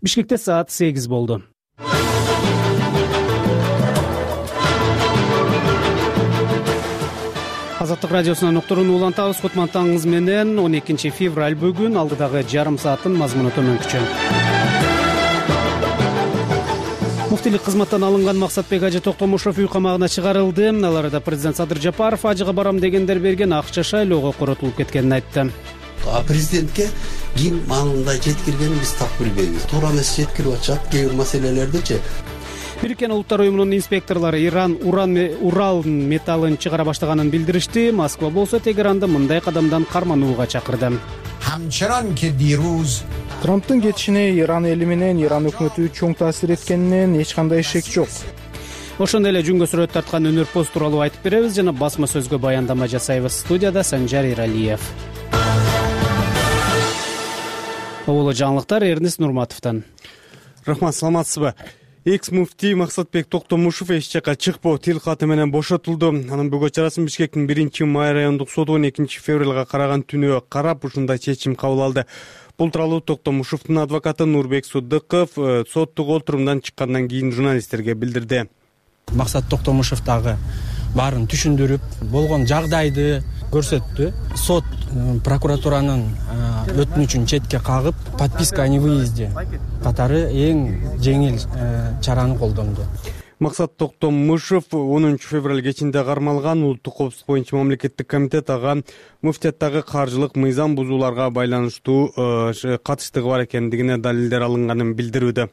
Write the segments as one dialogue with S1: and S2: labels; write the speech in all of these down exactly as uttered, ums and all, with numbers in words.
S1: Бишкекте саат сегиз болду. Азаттык радиосунан уктурууну улантабыз. Кутмандтарыңыз менен он экинчи февраль бүгүн. Алдыдагы жарым сааттын мазмуну төмөнкүчө. Муфтилик кызматтан алынган Максатбек Ажы Токтомушев үй камагына чыгарылды. Аларда президент Садыр Жапаров ажыга барам дегендер берген акча шайлоого коротулуп кеткенин айтты.
S2: Президентке ким маалында жеткиргенин биз так билбейбиз. Туура эмес жеткирип атышат кээ бир маселелердичи.
S1: Бириккен Улуттар уюмунун инспекторлору Иран уран Урал металлын чыгара баштаганын билдиришти. Москва болсо Тегеранды мындай кадамдан карманууга чакырды.
S3: Трамптын кетишине Иран эли менен Иран өкмөтү чоң таасир эткенинен эч кандай шек жок.
S1: Ошондой эле жүнгө сүрөт тарткан өнөр пост тууралуу айтып беребиз жана басма сөзгө баяндама жасайбыз. Студияда Санжар Иралиев. Оболо жаңылыктар Эрнест Нурматовдон.
S4: Рахмат, саламатсызбы? Экс-муфтий Максатбек Токтомушев эч жака чыкпоо тил каты менен бошотулду. Анын бөгөт чарасын Бишкектин биринчи май райондук соту он экинчи февралга караган түнү карап ушундай чечим кабыл алды. Бул тууралуу Токтомушевдун адвокаты Нурбек Судыков соттук отурумдан чыккандан кийин журналисттерге билдирди.
S5: Максат Токтомушев дагы баарын түшүндүрүп, болгон жагдайды көрсөттү. Сот прокуратуранын өтүнүчүн четке кагып, подписка о невыезде катары эң жеңил чараны колдонду.
S4: Максат Токтомушев онунчу февраль кечинде кармалган. Улуттук коопсуздук боюнча мамлекеттик комитет ага муфтияттагы каржылык мыйзам бузууларга байланыштуу катыштыгы бар экендигине далилдер алынганын билдирүүдө.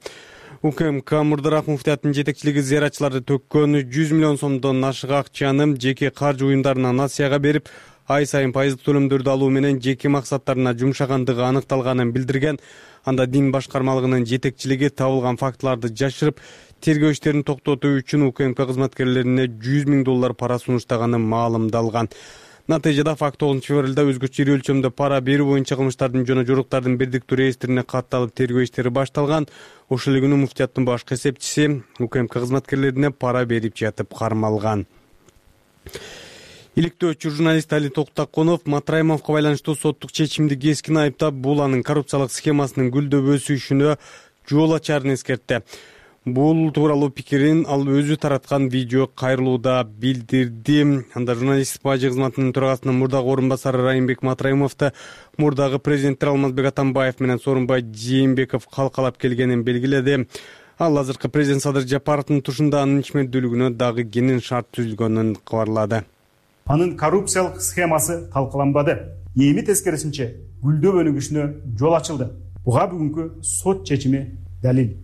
S4: УКМК мурдараак муфтияттын жетекчилиги зыяратчыларды төккөн жүз миллион сомдон ашык акчаны жеке каржы уюмдарына насыяга берип, ай сайын пайыздык төлөмдөрдү алуу менен жеке максаттарына жумшагандыгы аныкталганын билдирген. Анда дин башкармалыгынын жетекчилиги табылган фактыларды жашырып, тергөө иштерин токтотуу үчүн УКМК кызматкерлерине жүз миң доллар пара сунуштаганы маалымдалган. Натыйжада факт тогузунчу февралда өзгөчө ири өлчөмдө пара берүү боюнча кылмыштардын жана жоруктардын бирдиктүү реестрине катталып тергөө иштери башталган. Ошол эле күнү муфтияттын башкы эсепчиси УКМК кызматкерлерине пара берип жатып кармалган. Иликтөөчү журналист Али Токтаконов Матраимовго байланыштуу соттук чечимди кескин айыптап, бул анын коррупциялык схемасынын гүлдөп өсүшүнө жол ачарын эскертти. Бул тууралуу пикирин ал өзү тараткан видео кайрылууда билдирди. Анда журналисттик бажы кызматынын төрагасынын мурдагы орун басары Райымбек Матраимовду мурдагы президенттер Алмазбек Атамбаев менен Сооронбай Жээнбеков калкалап келгенин белгиледи. Ал азыркы президент Садыр Жапаровдун тушунда анын ичмердүүлүгүнө дагы кенен шарт түзүлгөнүн кабарлады.
S6: Анын коррупциялык схемасы талкаланбады. Эми тескерисинче гүлдөп өнүгүшүнө жол ачылды. Буга бүгүнкү сот чечими далил.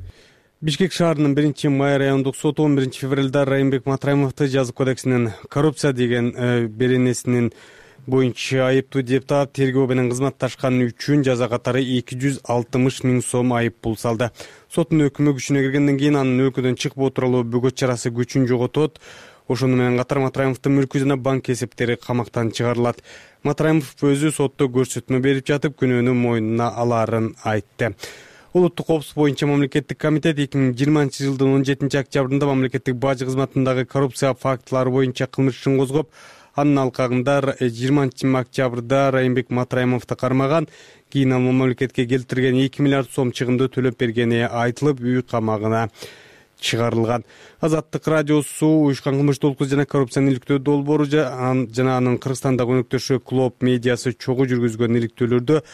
S4: Бишкек шаарынын биринчи май райондук соту он биринчи февралда Райымбек Матраимовду жаза кодексинин коррупция деген беренесинин боюнча айыптуу деп таап, тергөө менен кызматташканы үчүн жаза катары эки жүз алтымыш миң сом айып пул салды. Соттун өкүмү күчүнө киргенден кийин анын өлкөдөн чыкпоо тууралуу бөгөт чарасы күчүн жоготот. Ошону менен катар Матраимовдун мүлкү жана банк эсептери камактан чыгарылат. Матраимов өзү сотто көрсөтмө берип жатып, күнөөнү мойнуна алаарын айтты. Улуттук коопсуздук боюнча мамлекеттик комитет эки миң жыйырманчы жылдын он жетинчи октябрында мамлекеттик бажы кызматындагы коррупция фактылары боюнча кылмыш ишин козгоп, анын алкагында жыйырманчы октябрда Райымбек Матраимовду кармаган. Кийин ал мамлекетке келтирген эки миллиард сом чыгымды төлөп бергени айтылып, үй камагына чыгарылган. Азаттык радиосу уюшкан кылмыштуулук жана коррупцияны иликтөө долбоору жана анын Кыргызстандагы өнөктөшү Клоп медиасы чогуу жүргүзгөн иликтөөлөрдө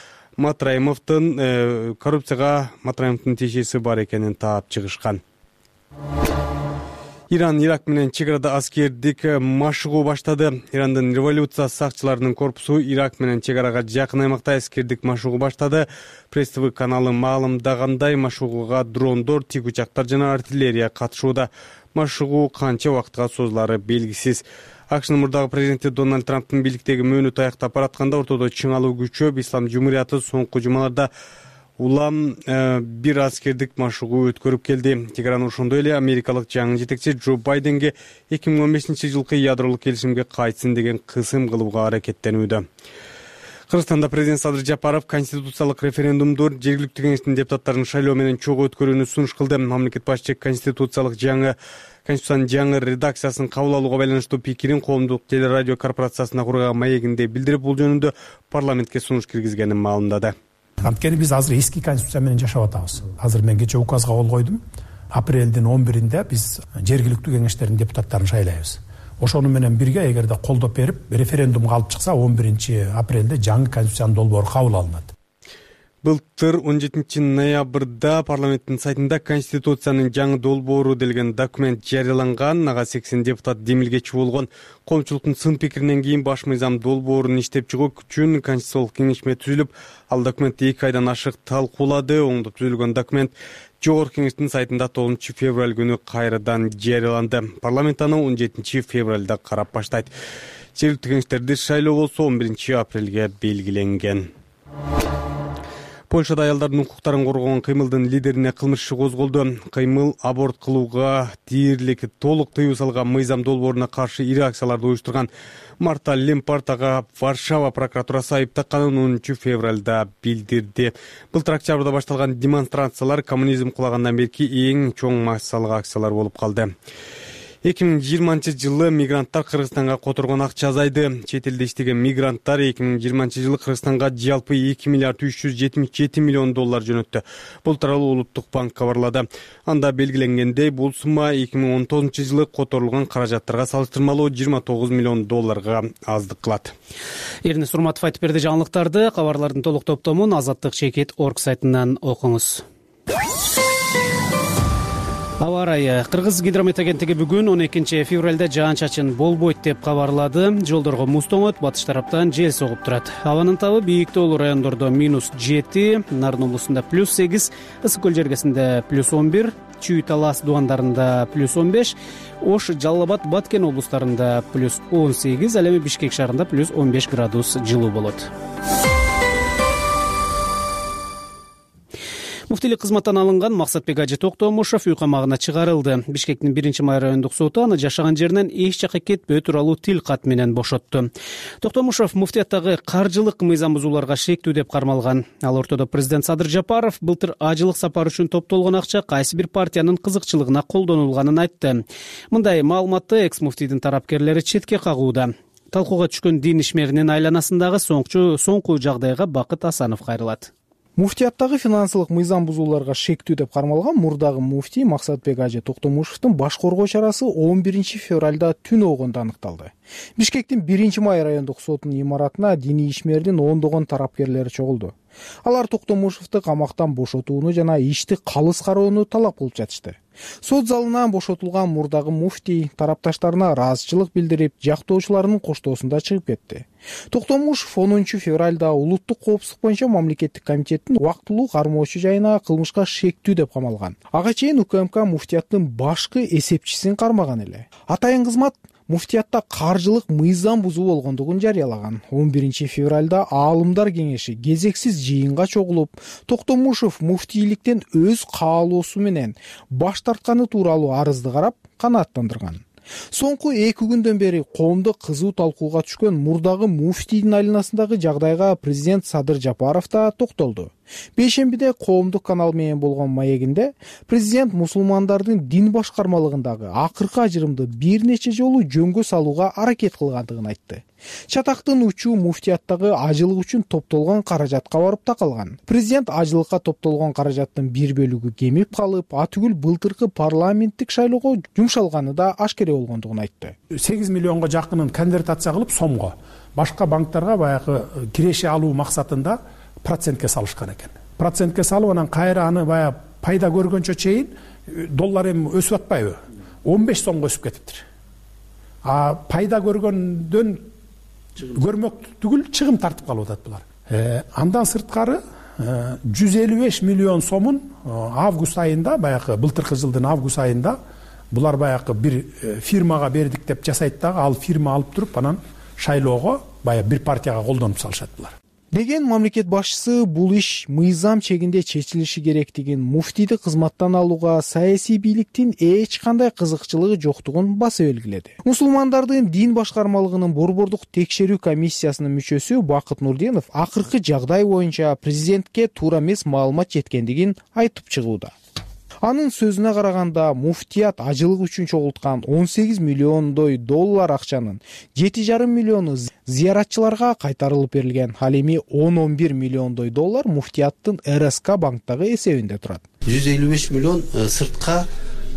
S4: Матраимовдун коррупцияга Матраимовдун тиешеси бар экенин таап чыгышкан. Иран Ирак менен чек арада аскердик машыгуу баштады. Ирандын революция сакчыларынын корпусу Ирак менен чек арага жакын аймакта аскердик машыгуу баштады. Пресс ТВ каналы маалымдагандай, машыгууга дрондор, тик учактар жана артиллерия катышууда. Машыгуу канча убакытка созулары белгисиз. АКШнын мурдагы президенти Дональд Трамптын бийликтеги мөөнөтү аяктап баратканда ортодо чыңалуу күчөп, Ислам Жумурияты соңку жумаларда улам э, бир аскердик машыгуу өткөрүп келди. Тегеран ошондой эле америкалык жаңы жетекчи Джо Байденге эки миң он бешинчи жылкы ядролук келишимге кайтсын деген кысым кылууга аракеттенүүдө. Кыргызстанда президент Садыр Жапаров конституциялык референдумду жергиликтүү кеңештин депутаттарын шайлоо менен чогуу өткөрүүнү сунуш кылды. Мамлекет башчы конституциялык жаңы Конституциянын жаңы редакциясын кабыл алууга байланыштуу пикирин коомдук телерадио корпорациясына курган маегинде билдирип, бул жөнүндө парламентке сунуш киргизгенин маалымдады.
S7: Анткени биз азыр эски конституция менен жашап атабыз. Азыр мен кече указга кол койдум. Апрелдин он биринде биз жергиликтүү кеңештердин депутаттарын шайлайбыз. Ошону менен бирге эгерде колдоп берип референдумга алып чыкса он биринчи апрелде жаңы конституциянын долбоору кабыл алынат.
S4: Былтыр он жетинчи ноябрда парламенттин сайтында Конституциянын жаңы долбоору делген документ жарыяланган. Ага сексен депутат демилгечи болгон. Коомчулуктун сын пикиринен кийин баш мыйзам долбоорун иштеп чыгуу үчүн конституциялык кеңешме түзүлүп, ал документти эки айдан ашык талкуулады. Оңдоп түзүлгөн документ Жогорку кеңештин сайтында тогузунчу февраль күнү кайрадан жарыяланды. Парламент аны он жетинчи февралда карап баштайт. Жергиликтүү кеңештерди шайлоо болсо он биринчи апрелге белгиленген. Польшада аялдардын укуктарын коргогон кыймылдын лидерине кылмыш иши козголду. Кыймыл аборт кылууга дээрлик толук тыюу салган мыйзам долбооруна каршы ири акцияларды уюштурган Марта Лемпарт ага Варшава прокуратурасы айып такканын онунчу февралда билдирди. Былтыр октябрда башталган демонстрациялар коммунизм кулагандан берки эң чоң массалык акциялар болуп калды. эки миң жыйырманчы жылы мигранттар Кыргызстанга которгон акча азайды. Чет элде иштеген мигранттар эки миң жыйырманчы жылы Кыргызстанга жалпы эки миллиард үч жүз жетимиш жети миллион доллар жөнөттү. Бул тууралуу Улуттук банк кабарлады. Анда белгиленгендей, бул сумма эки миң он тогузунчу жылы которулган каражаттарга салыштырмалуу жыйырма тогуз миллион долларга аздык кылат.
S1: Эрнис Урматов айтып берди жаңылыктарды. Кабарлардын толук топтомун азаттык чекит точка орг сайтынан окуңуз. Аба ырайы. Кыргыз гидромет агенттиги бүгүн он экинчи февралда жаан-чачын болбойт деп кабарлады. Жолдорго муз тоңот, батыш тараптан жел согуп турат. Абанын табы бийиктүүлүү райондордо минус жети, Нарын облусунда плюс сегиз, Ысык көл жергесинде плюс он бир, Чүй Талас дубандарында плюс он беш, Ош, Жалал Абад, Баткен облустарында плюс он сегиз, ал эми Бишкек шаарында плюс он беш градус жылуу болот. Муфтийлик кызматтан алынган Максатбек Ажы Токтомушов үй камагына чыгарылды. Бишкектин биринчи май райондук соту аны жашаган жеринен эч жакка кетпөө тууралуу тил кат менен бошотту. Токтомушов муфтияттагы каржылык мыйзам бузууларга шектүү деп кармалган. Ал ортодо президент Садыр Жапаров былтыр ажылык сапар үчүн топтолгон акча кайсы бир партиянын кызыкчылыгына колдонулганын айтты. Мындай маалыматты экс-муфтийдин тарапкерлери четке кагууда. Талкууга түшкөн дин ишмеринин айланасындагы соңку соңку жагдайга Бакыт Асанов кайрылат.
S3: Муфтияттагы финансылык мыйзам бузууларга шектүү деп кармалган мурдагы муфтий Максатбек Ажы Токтомушевдун баш коргоо чарасы он биринчи февралда түн огонда аныкталды. Бишкектин биринчи май райондук сотунун имаратына диний ишмердин ондогон тарапкерлери чогулду. Алар Токтомушевду камактан бошотууну жана ишти калыс кароону талап кылып жатышты. Сот залынан бошотулган мурдагы муфтий тарапташтарына ыраазычылык билдирип, жактоочуларынын коштоосунда чыгып кетти. Токтомушев онунчу февралда улуттук коопсуздук боюнча мамлекеттик комитеттин убактылуу кармоочу жайына кылмышка шектүү деп камалган. Ага чейин УКМК муфтияттын башкы эсепчисин кармаган эле. Атайын кызмат муфтиятта каржылык мыйзам бузуу болгондугун жарыялаган. он биринчи февралда аалымдар кеңеши кезексиз жыйынга чогулуп, Токтомушев муфтийликтен өз каалоосу менен баш тартканы тууралуу арызды карап канааттандырган. Соңку эки күндөн бери коомдо кызуу талкууга түшкөн мурдагы муфтийдин айланасындагы жагдайга президент Садыр Жапаров да токтолду. Бейшембиде коомдук канал менен болгон маегинде президент мусулмандардын дин башкармалыгындагы акыркы ажырымды бир нече жолу жөнгө салууга аракет кылгандыгын айтты. Чатактын учуу муфтияттагы ажылык үчүн топтолгон каражатка барып такалган. Президент ажылыкка топтолгон каражаттын бир бөлүгү кемип калып, атүгүл былтыркы парламенттик шайлоого жумшалганы да ашкере болгондугун айтты.
S7: сегиз миллионго жакынын конвертация кылып сомго башка банктарга баягы киреше алуу максатында процентке салышкан экен. Процентке салып анан кайра аны баягы пайда көргөнчө чейин доллар эми өсүп атпайбы? он беш сомго өсүп кетиптир. А пайда көргөндөн көрмөк түгүл чыгым тартып калып атат булар. Э, андан сырткары жүз элүү беш миллион сомун август айында, баягы былтыркы жылдын август айында булар баягы бир фирмага бердик деп жасайт дагы, ал фирма алып туруп анан шайлоого баягы бир партияга колдонуп салышат булар.
S3: Деген мамлекет башчысы бул иш мыйзам чегинде чечилиши керектигин, муфтийди кызматтан алууга саясий бийликтин эч кандай кызыкчылыгы жоктугун баса белгиледи. Мусулмандардын дин башкармалыгынын борбордук текшерүү комиссиясынын мүчөсү Бакыт Нурдинов акыркы жагдай боюнча президентке туура эмес маалымат жеткендигин айтып чыгууда. Анын сөзүнө караганда, муфтият ажылык үчүн чогулткан он сегиз миллиондой доллар акчанын жети жарым миллиону зыяратчыларга кайтарылып берилген. Ал эми он он бир миллиондой доллар муфтияттын эр эс ка банктагы эсебинде турат.
S2: жүз элүү беш миллион сыртка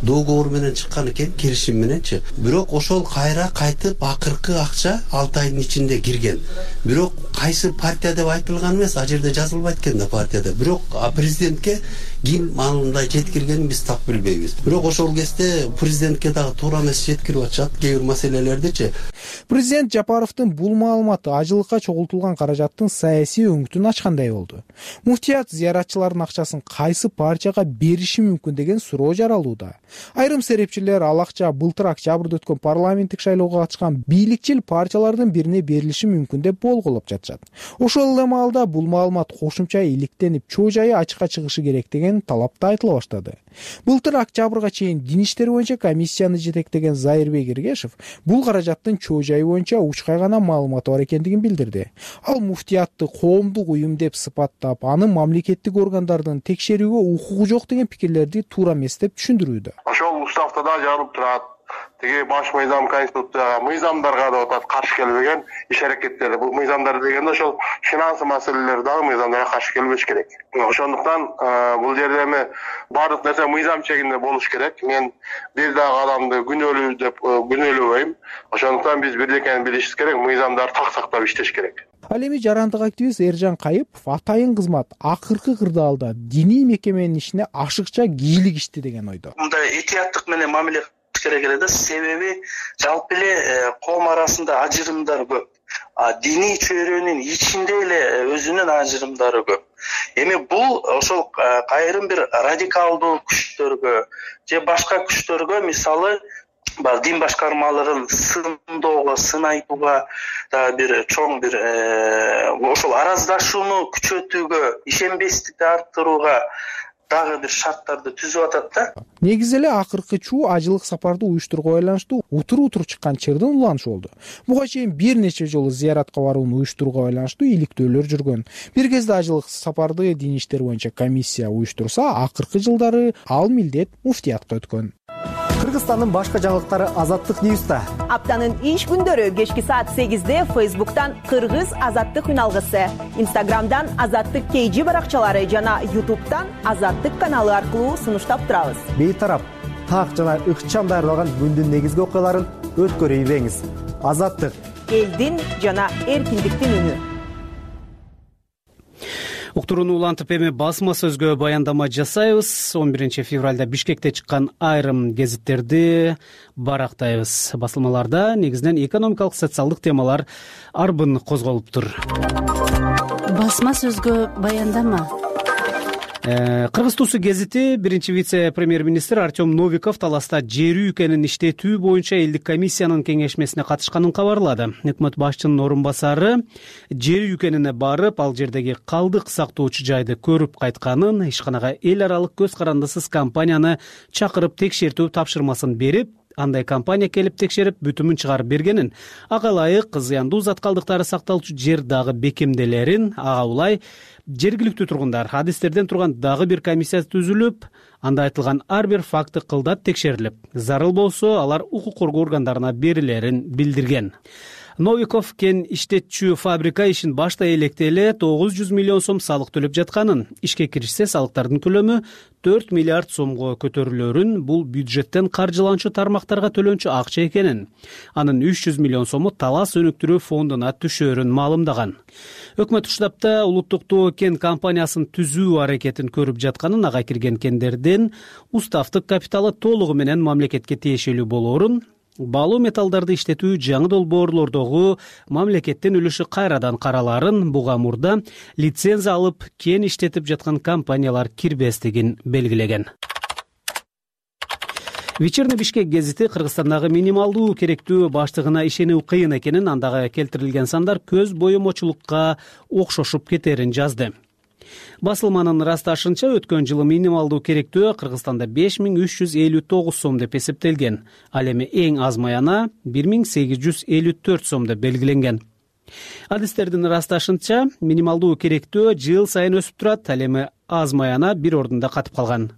S2: договор менен чыккан экен, келишим мененчи. Бирок ошол кайра кайтып акыркы акча алты айдын ичинде кирген. Бирок кайсы партия деп айтылган эмес, а жерде жазылбайт экен да партияда. Бирок президентке ким маалында жеткиргенин биз так билбейбиз. Бирок ошол кезде президентке дагы туура эмес жеткирип атышат кээ бир маселелердичи.
S3: Президент Жапаровдун бул маалыматы ажылыкка чогултулган каражаттын саясий өңүтүн ачкандай болду. Муфтият зыяратчылардын акчасын кайсы партияга бериши мүмкүн деген суроо жаралууда. Айрым серепчилер ал акча былтыр октябрда өткөн парламенттик шайлоого катышкан бийликчил партиялардын бирине берилиши мүмкүн деп болгулоп жатышат. Ошол эле маалда бул маалымат кошумча иликтенип, чоо жайы ачыкка чыгышы керек деген талап да айтыла баштады. Былтыр октябрга чейин дин иштери боюнча комиссияны жетектеген Зайырбек Эргешев бул каражаттын чоо жайы боюнча учкай гана маалыматы бар экендигин билдирди. Ал муфтиятты коомдук уюм деп сыпаттап, анын мамлекеттик органдардын текшерүүгө укугу жок деген пикирлерди туура эмес деп түшүндүрүүдө.
S8: Ошол уставда да жазылып турат. Тиги баш мыйзам конституцияга, мыйзамдарга да атат каршы келбеген иш аракеттер. Бул мыйзамдар дегенде ошол финансы маселелер дагы мыйзамдарга каршы келбеш керек. Ошондуктан бул жерде эми баардык нерсе мыйзам чегинде болуш керек. Мен бир дагы адамды күнөөлүү деп күнөөлөбөйм. Ошондуктан биз бирдекени билишибиз керек, мыйзамдарды так сактап иштеш керек.
S3: Ал эми жарандык активист Эржан Кайыпов атайын кызмат акыркы кырдаалда диний мекеменин ишине ашыкча кийлик ишти деген ойдо.
S9: Мындай этияттык менен мамиле керек эле да, себеби жалпы эле коом арасында ажырымдар көп. А диний чөйрөнүн ичинде эле өзүнүн ажырымдары көп. Эми бул ошол айрым бир радикалдуу күчтөргө же башка күчтөргө, мисалы дин башкармаларын сындоого, сын айтууга да бир чоң бир ошол араздашууну күчөтүүгө, ишенбестикти арттырууга дагы бир шарттарды түзүп атат да.
S3: Негизи эле акыркы чуу ажылык сапарды уюштурууга байланыштуу утур-утур чыккан чырдын уланышы болду. Буга чейин бир нече жолу зыяратка барууну уюштурууга байланыштуу иликтөөлөр жүргөн. Бир кезде ажылык сапарды дин иштери боюнча комиссия уюштурса, акыркы жылдары ал милдет муфтиятка өткөн.
S10: Кыргызстандын башка жаңылыктары Азаттык Ньюста.
S11: Аптанын иш күндөрү кечки саат сегизде Фейсбуктан Кыргыз Азаттык үналгысы, Инстаграмдан Азаттык кей жи баракчалары жана Ютубтан Азаттык каналы аркылуу сунуштап турабыз.
S10: Бейтарап, так жана ыкчам даярдалган күндүн негизги окуяларын өткөрүп ийбеңиз. Азаттык,
S11: элдин жана эркиндиктин үнү.
S1: Уктурууну улантып эми басма сөзгө баяндама жасайбыз. он биринчи февралда Бишкекте чыккан айрым гезиттерди барактайбыз. Басылмаларда негизинен экономикалык, социалдык темалар арбын козголуптур.
S12: Басма сөзгө баяндама.
S1: Кыргыз Туусу гезити биринчи вице-премьер-министр Артем Новиков таласта жер үйкөнүн иштетүү боюнча элдик комиссиянын кеңешмесине катышканын кабарлады. Өкмөт башчынын орун басары жер үйкөнүнө барып, ал жердеги калдык сактоочу жайды көрүп кайтканын, ишканага эл аралык көз карандысыз компанияны чакырып текшертүү тапшырмасын берип, андай компания келип текшерип бүтүмүн чыгарып бергенин, ага ылайык зыяндуу зат калдыктары сакталчу жер дагы бекемделерин, ага улай жергиликтүү тургундар адистерден турган дагы бир комиссия түзүлүп, анда айтылган ар бир факты кылдат текшерилип, зарыл болсо алар укук коргоо органдарына берилерин билдирген. Новиков кен иштетчү фабрика ишин баштай электе эле тогуз жүз миллион сом салык төлөп жатканын, ишке киришсе салыктардын көлөмү төрт миллиард сомго көтөрүлөрүн, бул бюджеттен каржыланчу тармактарга төлөнчү акча экенин, анын үч жүз миллион сому талас өнүктүрүү фондуна түшөөрүн маалымдаган. Өкмөт штабта улуттук тоо кен компаниясын түзүү аракетин көрүп жатканын, ага кирген кендердин уставдык капиталы толугу менен мамлекетке тиешелүү болоорун, баалуу металлдарды иштетүү жаңы долбоорлордогу мамлекеттин үлүшү кайрадан караларын, буга мурда лицензия алып кен иштетип жаткан компаниялар кирбестигин белгилеген. Вечерний Бишкек гезити Кыргызстандагы минималдуу керектүү баштыгына ишенүү кыйын экенин, андагы келтирилген сандар көз боемочулукка окшошуп кетерин жазды. Басылманын ырасташынча, өткөн жылы минималдуу керектөө Кыргызстанда беш миң үч жүз элүү тогуз сом деп эсептелген. Ал эми эң аз маяна бир миң сегиз жүз элүү төрт сом деп белгиленген. Адистердин ырасташынча, минималдуу керектөө жыл сайын өсүп турат. Ал эми аз маяна бир ордунда катып калган.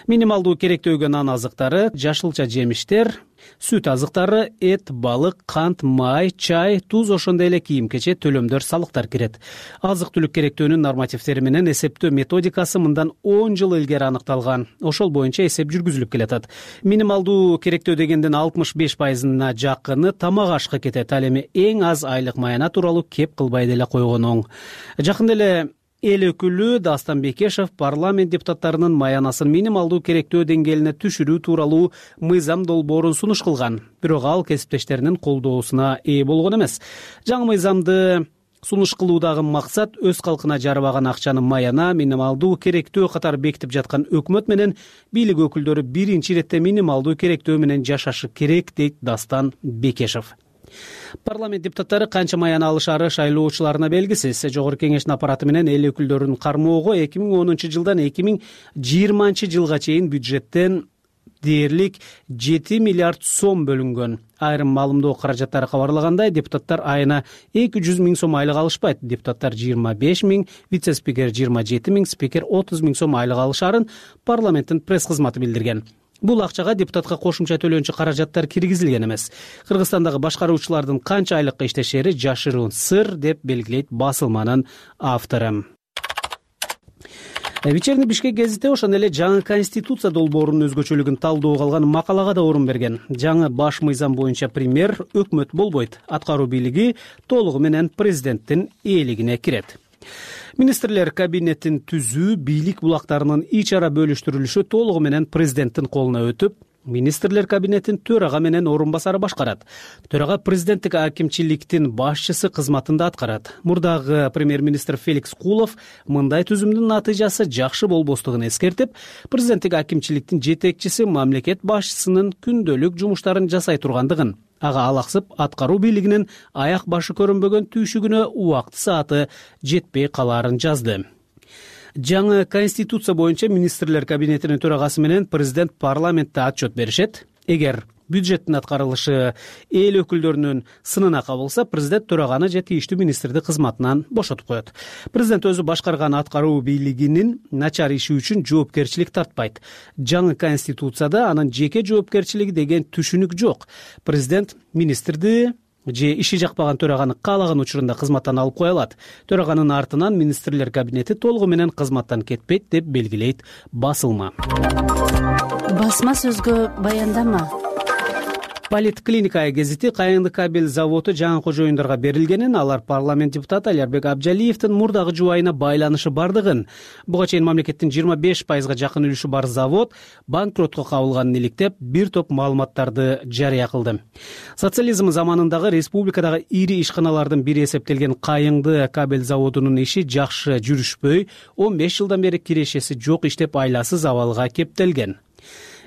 S1: Минималдуу керектөөгө нан азыктары, жашылча жемиштер, сүт азыктары, эт, балык, кант, май, чай, туз, ошондой эле кийим-кече, төлөмдөр, салыктар кирет. Азык-түлүк керектөөнүн нормативдери менен эсептөө методикасы мындан он жыл илгери аныкталган. Ошол боюнча эсеп жүргүзүлүп келатат. Минималдуу керектөө дегенден алтымыш беш пайызына жакыны тамак ашка кетет. Ал эми эң аз айлык маяна тууралуу кеп кылбай деле койгон оң. Жакында эле эл өкүлү Дастан Бекешев парламент депутаттарынын маянасын минималдуу керектөө деңгээлине түшүрүү тууралуу мыйзам долбоорун сунуш кылган. Бирок ал кесиптештеринин колдоосуна ээ болгон эмес. Жаңы мыйзамды сунуш кылуудагы максат өз калкына жарабаган акчаны маяна, минималдуу керектөө катары бекитип жаткан өкмөт менен бийлик өкүлдөрү биринчи иретте минималдуу керектөө менен жашашы керек, дейт Дастан Бекешев. Парламент депутаттары канча маяна алышары шайлоочуларына белгисиз. Жогорку кеңештин аппараты менен эл өкүлдөрүн кармоого эки миң онунчу жылдан эки миң жыйырманчы жылга чейин бюджеттен дээрлик жети миллиард сом бөлүнгөн. Айрым маалымдоо каражаттары кабарлагандай, депутаттар айына эки жүз миң сом айлык алышпайт. Депутаттар жыйырма беш миң, вице-спикер жыйырма жети миң, спикер отуз миң сом айлык алышарын парламенттин пресс кызматы билдирген. Бул акчага депутатка кошумча төлөөнчү каражаттар киргизилген эмес. Кыргызстандагы башкаруучулардын канча айлыкка иштешери жашыруун сыр, деп белгилейт басылманын автору. Вечерний Бишкек гезити ошондой эле жаңы конституция долбоорунун өзгөчөлүгүн талдоого алган макалага да орун берген. Жаңы баш мыйзам боюнча премьер өкмөт болбойт, аткаруу бийлиги толугу менен президенттин ээлигине кирет. Министрлер кабинетин түзүү, бийлик булактарынын ич ара бөлүштүрүлүшү толугу менен президенттин колуна өтүп, министрлер кабинетин төрага менен орун басары башкарат. Төрага президенттик акимчиликтин башчысы кызматында аткарат. Мурдагы премьер-министр Феликс Кулов мындай түзүмдүн натыйжасы жакшы болбостугун эскертип, президенттик акимчиликтин жетекчиси мамлекет башчысынын күндөлүк жумуштарын жасай тургандыгын, ага алаксып аткаруу бийлигинин аяк башы көрүнбөгөн түйшүгүнө убакыт сааты жетпей калаарын жазды. Жаңы конституция боюнча министрлер кабинетинин төрагасы менен президент парламентте отчет беришет. Эгер бюджеттин аткарылышы эл өкүлдөрүнүн сынына кабылса, президент төраганы же тийиштүү министрди кызматынан бошотуп коет. Президент өзү башкарган аткаруу бийлигинин начар иши үчүн жоопкерчилик тартпайт. Жаңы конституцияда анын жеке жоопкерчилиги деген түшүнүк жок. Президент министрди же иши жакпаган төраганы каалаган учурунда кызматтан алып кое алат. Төраганын артынан министрлер кабинети толугу менен кызматтан кетпейт, деп белгилейт басылма.
S12: Басма сөзгө баяндама.
S1: Политклиника гезити Кайыңды кабель заводу жаңы кожоюндарга берилгенин, алар парламент депутаты Алярбек Абджалиевдин мурдагы жубайына байланышы бардыгын, буга чейин мамлекеттин жыйырма беш пайызга жакын үлүшү бар завод банкротко кабылганын иликтеп, бир топ маалыматтарды жарыя кылды. Социализм заманындагы республикадагы ири ишканалардын бири эсептелген Кайыңды кабель заводунун иши жакшы жүрүшпөй, он беш жылдан бери кирешеси жок иштеп айласыз абалга кептелген.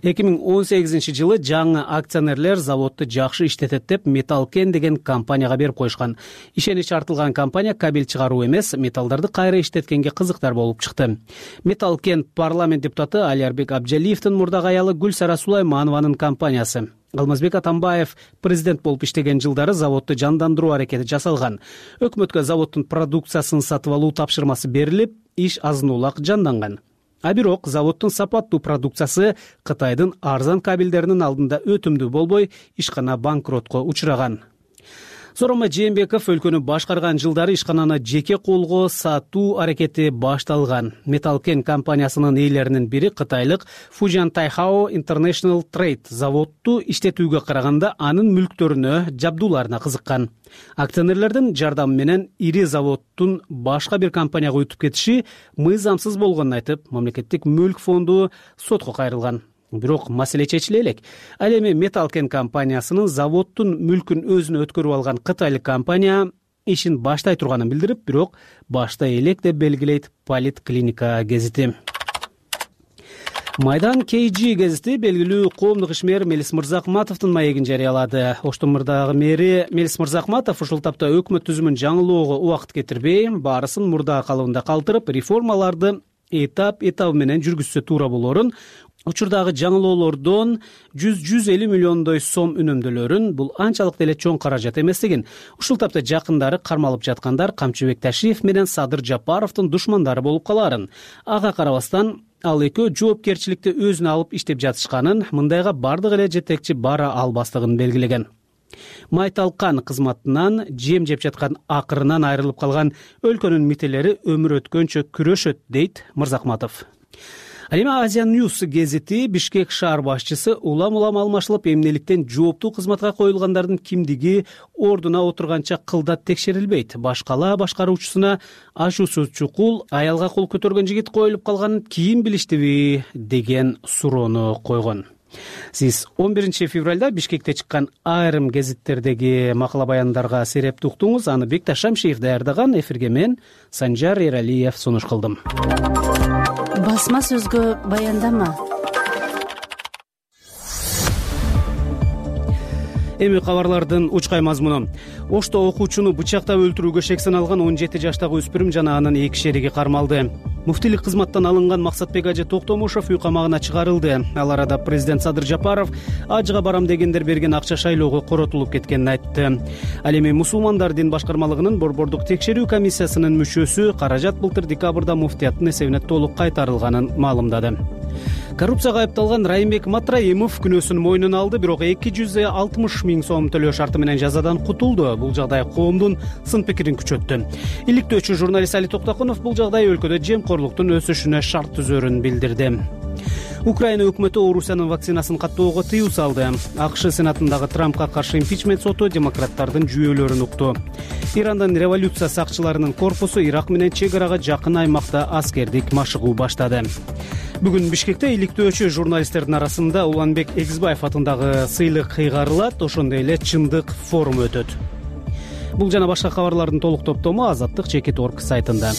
S1: эки миң он сегизинчи жылы жаңы акционерлер заводду жакшы иштетет деп Металлкен деген компанияга берип коюшкан. Ишенич артылган компания кабель чыгаруу эмес, металлдарды кайра иштеткенге кызыктар болуп чыкты. Металлкен парламент депутаты Алярбек Абджалиевдин мурдагы аялы Гүлсара Сулайманованын компаниясы. Алмазбек Атамбаев президент болуп иштеген жылдары заводду жандандыруу аракети жасалган. Өкмөткө заводдун продукциясын сатып алуу тапшырмасы берилип, иш азын улак жанданган. А бирок заводдун сапаттуу продукциясы Кытайдын арзан кабелдеринин алдында өтүмдүү болбой, ишкана банкротко учураган. Сооронбай Жээнбеков өлкөнү башкарган жылдары ишкананы жеке колго сатуу аракети башталган. Металлкен компаниясынын ээлеринин бири кытайлык Fujian Taihao International Trade заводду иштетүүгө караганда анын мүлктөрүнө, жабдууларына кызыккан. Акционерлердин жардамы менен ири заводдун башка бир компанияга өтүп кетиши мыйзамсыз болгонун айтып, мамлекеттик мүлк фонду сотко кайрылган. Бирок маселе чечиле элек. Ал эми Металлкен компаниясынын заводдун мүлкүн өзүнө өткөрүп алган кытайлык компания ишин баштай турганын билдирип, бирок баштай элек деп белгилейт Политклиника гезити. Майдан кей жи гезити белгилүү коомдук ишмер Мелис Мырзахматовдун маегин жарыялады. Оштомурдагы мэри Мелис Мырзахматов ушул тапта өкмөт түзүмүн жаңылоого убакыт кетирбей, баарысын мурда калыбында калтырып, реформаларды этап этабы менен жүргүзсө туура болорун, учурдагы жаңылоолордон жүз жүз элүү миллиондой сом үнөмдөлөрүн, бул анчалык деле чоң каражат эместигин, ушул тапта жакындары кармалып жаткандар Камчыбек Ташиев менен Садыр Жапаровдун душмандары болуп калаарын. Ага карабастан ал экөө жоопкерчиликти өзүнө алып иштеп жатышканын, мындайга бардык эле жетекчи бара албастыгын белгилеген. Майталкан кызматынан жем жеп жаткан акырынан айрылып калган өлкөнүн мителери өмүр өткөнчө күрөшөт, дейт Мырзахматов. Ал эми Азия Ньюс гезити Бишкек шаар башчысы улам-улам алмашылып, эмнеликтен жооптуу кызматка коюлгандардын кимдиги ордуна отурганча кылдат текшерилбейт. Башкала башкаруучусуна ашуусуз чукул аялга кол көтөргөн жигит коюлуп калганын кийин билиштиби деген суроону койгон. Сиз он биринчи февралда Бишкекте чыккан айрым гезиттердеги макала баяндарга серепти уктуңуз. Аны Бекташ Шамшиев даярдаган. Эфирге мен Санжар Эралиев сунуш кылдым.
S12: Басма сөзгө баяндама.
S1: Эми кабарлардын учкай мазмуну. Ошто окуучуну бычактап өлтүрүүгө шек саналган он жети жаштагы өспүрүм жана анын эки шериги кармалды. Муфтилик кызматтан алынган Максатбек ажы Токтомушов үй камагына чыгарылды. Ал арада президент Садыр Жапаров ажыга барам дегендер берген акча шайлоого коротулуп кеткенин айтты. Ал эми мусулмандар дин башкармалыгынын борбордук текшерүү комиссиясынын мүчөсү каражат былтыр декабрда муфтияттын эсебине толук кайтарылганын маалымдады. Коррупцияга айыпталган Райымбек Матраимов күнөөсүн мойнуна алды, бирок эки жүз алтымыш миң сом төлөө шарты менен жазадан кутулду. Бул жагдай коомдун сын пикирин күчөттү. Иликтөөчү журналист Али Токтокунов бул жагдай өлкөдө жемкорлуктун өсүшүнө шарт түзөрүн билдирди. Украина өкмөтү Орусиянын вакцинасын каттоого тыюу салды. АКШ сенатындагы Трампка каршы импичмент соту демократтардын жүйөлөрүн укту. Ирандын революция сакчыларынын корпусу Ирак менен чек арага жакын аймакта аскердик машыгуу баштады. Бүгүн Бишкекте иликтөөчү журналисттердин арасында Уланбек Эгизбаев атындагы сыйлык кыйгарылат, ошондой эле чындык форуму өтөт. Бул жана башка кабарлардын толук топтому азаттык чекит точка орг сайтында.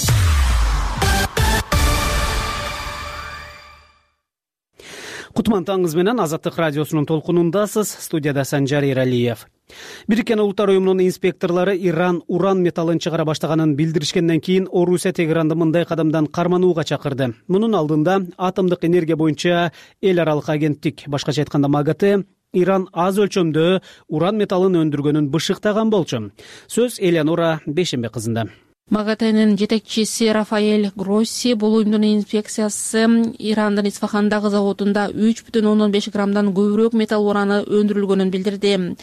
S1: Кутман таңыңыз менен Азаттык радиосунун толкунундасыз. Студияда Санжар Эралиев. Бириккен Улуттар уюмунун инспекторлору Иран уран металлын чыгара баштаганын билдиришкенден кийин Орусия Тегеранды мындай кадамдан карманууга чакырды. Мунун алдында атомдук энергия боюнча эл аралык агенттик, башкача айтканда МАГАТЭ, Иран аз өлчөмдө уран металлын өндүргөнүн бышыктаган болчу. Сөз Элеонора Бейшембек кызында.
S13: МАГАТЭнин жетекчиси Рафаэль Гросси бул уюмдун инспекциясы Ирандын Исфахандагы заводунда үч бүтүн ондон беш граммдан көбүрөөк металл ураны өндүрүлгөнүн билдирди.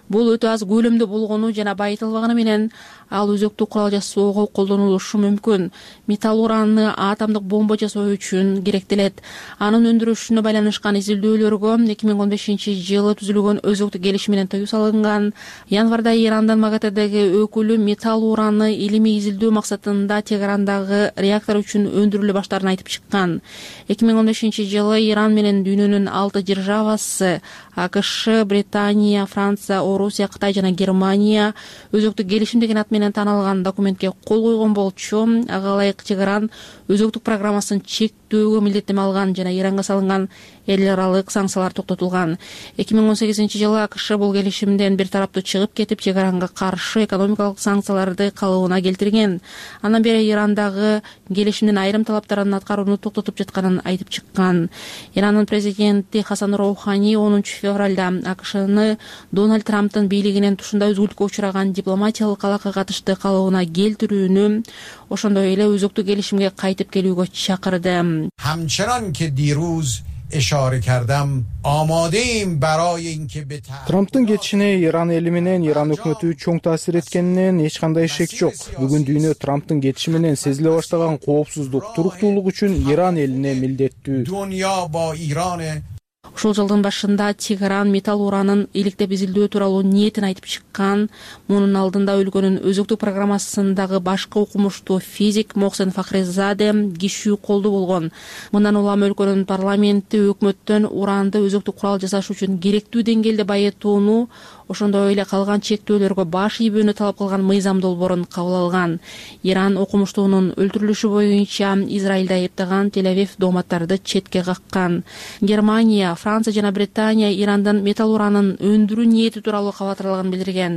S13: Бул өтө аз көлөмдө болгону жана байытылбаганы менен ал өзөктүк курал жасоого колдонулушу мүмкүн. Металл уранны атомдук бомба жасоо үчүн керектелет. Анын өндүрүшүнө байланышкан изилдөөлөргө эки миң он бешинчи жылы түзүлгөн өзөктүк келишим менен тыюу салынган. Январда Ирандын МАГАТЭдеги өкүлү металл уранны илимий изилдөө максатында Тегерандагы реактор үчүн өндүрүлө баштаарын айтып чыккан. эки миң он бешинчи жылы Иран менен дүйнөнүн алты державасы АКШ, Британия, Франция, Орусия, Кытай жана Германия өзөктүк келишим деген ат менен таанылган документке кол койгон болчу. Ага ылайык Тегеран өзөктүк программасын чектөөгө милдеттеме алган жана Иранга салынган эл аралык санкциялар токтотулган. эки миң он сегизинчи жылы АКШ бул келишимден бир тараптуу чыгып кетип, Тегеранга каршы экономикалык санкцияларды калыбына келтирген. Андан бери Ирандагы келишимдин айрым талаптарын аткарууну токтотуп жатканын айтып чыккан. Ирандын президенти Хасан Роухани онунчу февралда АКШны Дональд Трамптын бийлигинен тушундай үзгүлтүккө учураган дипломатиялык алака катышты калыбына келтирүүнү, ошондой эле өзөктүк келишимге кайтып келүүгө чакырды.
S14: Hamchanan ke diruz ишара кардам, амодеим барои инке бе
S3: Трамптын кетишине Иран эли менен Иран өкмөтү чоң таасир эткенинен эч кандай шек жок. Бүгүн дүйнө Трамптын кетиши менен сезиле баштаган коопсуздук, туруктуулук үчүн Иран элине милдеттүү.
S14: Дүйнө ба Иран.
S13: Ушул жылдын башында Тегеран металл уранын иликтеп изилдөө тууралуу ниетин айтып чыккан. Мунун алдында өлкөнүн өзөктүк программасындагы башкы окумуштуу физик Мохсен Фахризаде кишүү колду болгон. Мындан улам өлкөнүн парламенти өкмөттөн уранды өзөктүк курал жасаш үчүн керектүү деңгээлде байытууну, ошондой эле калган чектөөлөргө баш ийбөөнү талап кылган мыйзам долбоорун кабыл алган. Иран окумуштуунун өлтүрүлүшү боюнча Израилди айыптаган Тель-Авив дооматтарды четке каккан. Германия, Франция жана Британия Ирандан металл уранын өндүрүү ниети тууралуу кабатырлаган билдирген.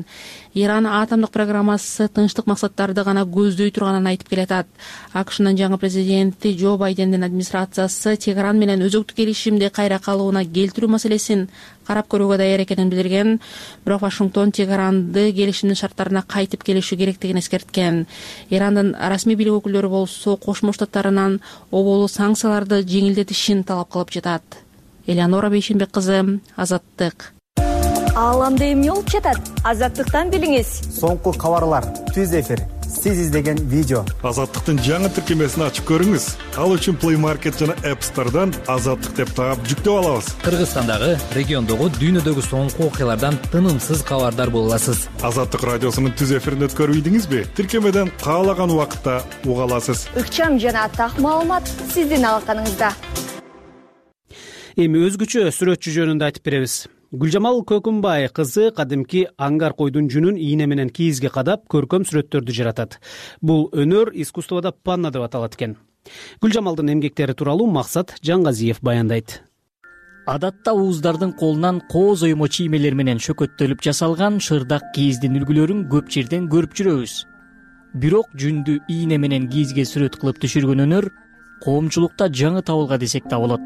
S13: Иран атомдук программасы тынчтык максаттарды гана көздөй турганын айтып келатат. АКШнын жаңы президенти Джо Байдендин администрациясы Тегеран менен өзөктүк келишимди кайра калыбына келтирүү маселесин карап көрүүгө даяр экенин билдирген. Бирок Вашингтон Тегеранды келишимдин шарттарына кайтып келиши керектигин эскерткен. Ирандын расмий бийлик өкүлдөрү болсо Кошмо Штаттарынан оболу санкцияларды жеңилдетишин талап кылып жатат. Элеонора Бейшенбек кызы, Азаттык.
S11: Ааламда эмне болуп жатат? Азаттыктан билиңиз.
S10: Соңку кабарлар, түз эфир, сиз издеген видео.
S15: Азаттыктын жаңы тиркемесин ачып көрүңүз. Ал үчүн Play Market жана App Store'дан Азаттык деп таап жүктөп алабыз.
S16: Кыргызстандагы, региондогу, дүйнөдөгү соңку окуялардан тынымсыз кабардар боло аласыз.
S15: Азаттык радиосунун түз эфирин өткөрүп ийдиңизби? Тиркемеден каалаган убакытта уга аласыз.
S11: Ыкчам жана так маалымат сиздин алаканыңызда.
S1: Эми өзгөчө сүрөтчү жөнүндө айтып беребиз. Гүлжамал Көкүмбай кызы кадимки аңгар койдун жүнүн ийне менен кийизге кадап көркөм сүрөттөрдү жаратат. Бул өнөр искусствода панна деп аталат экен. Гүлжамалдын эмгектери тууралуу Максат Жаңгазиев баяндайт.
S17: Адатта ууздардын колунан кооз оймо чиймелер менен шөкөттөлүп жасалган шырдак кийиздин үлгүлөрүн көп жерден көрүп жүрөбүз. Бирок жүндү ийне менен кийизге сүрөт кылып түшүргөн өнөр коомчулукта жаңы табылга десек да болот.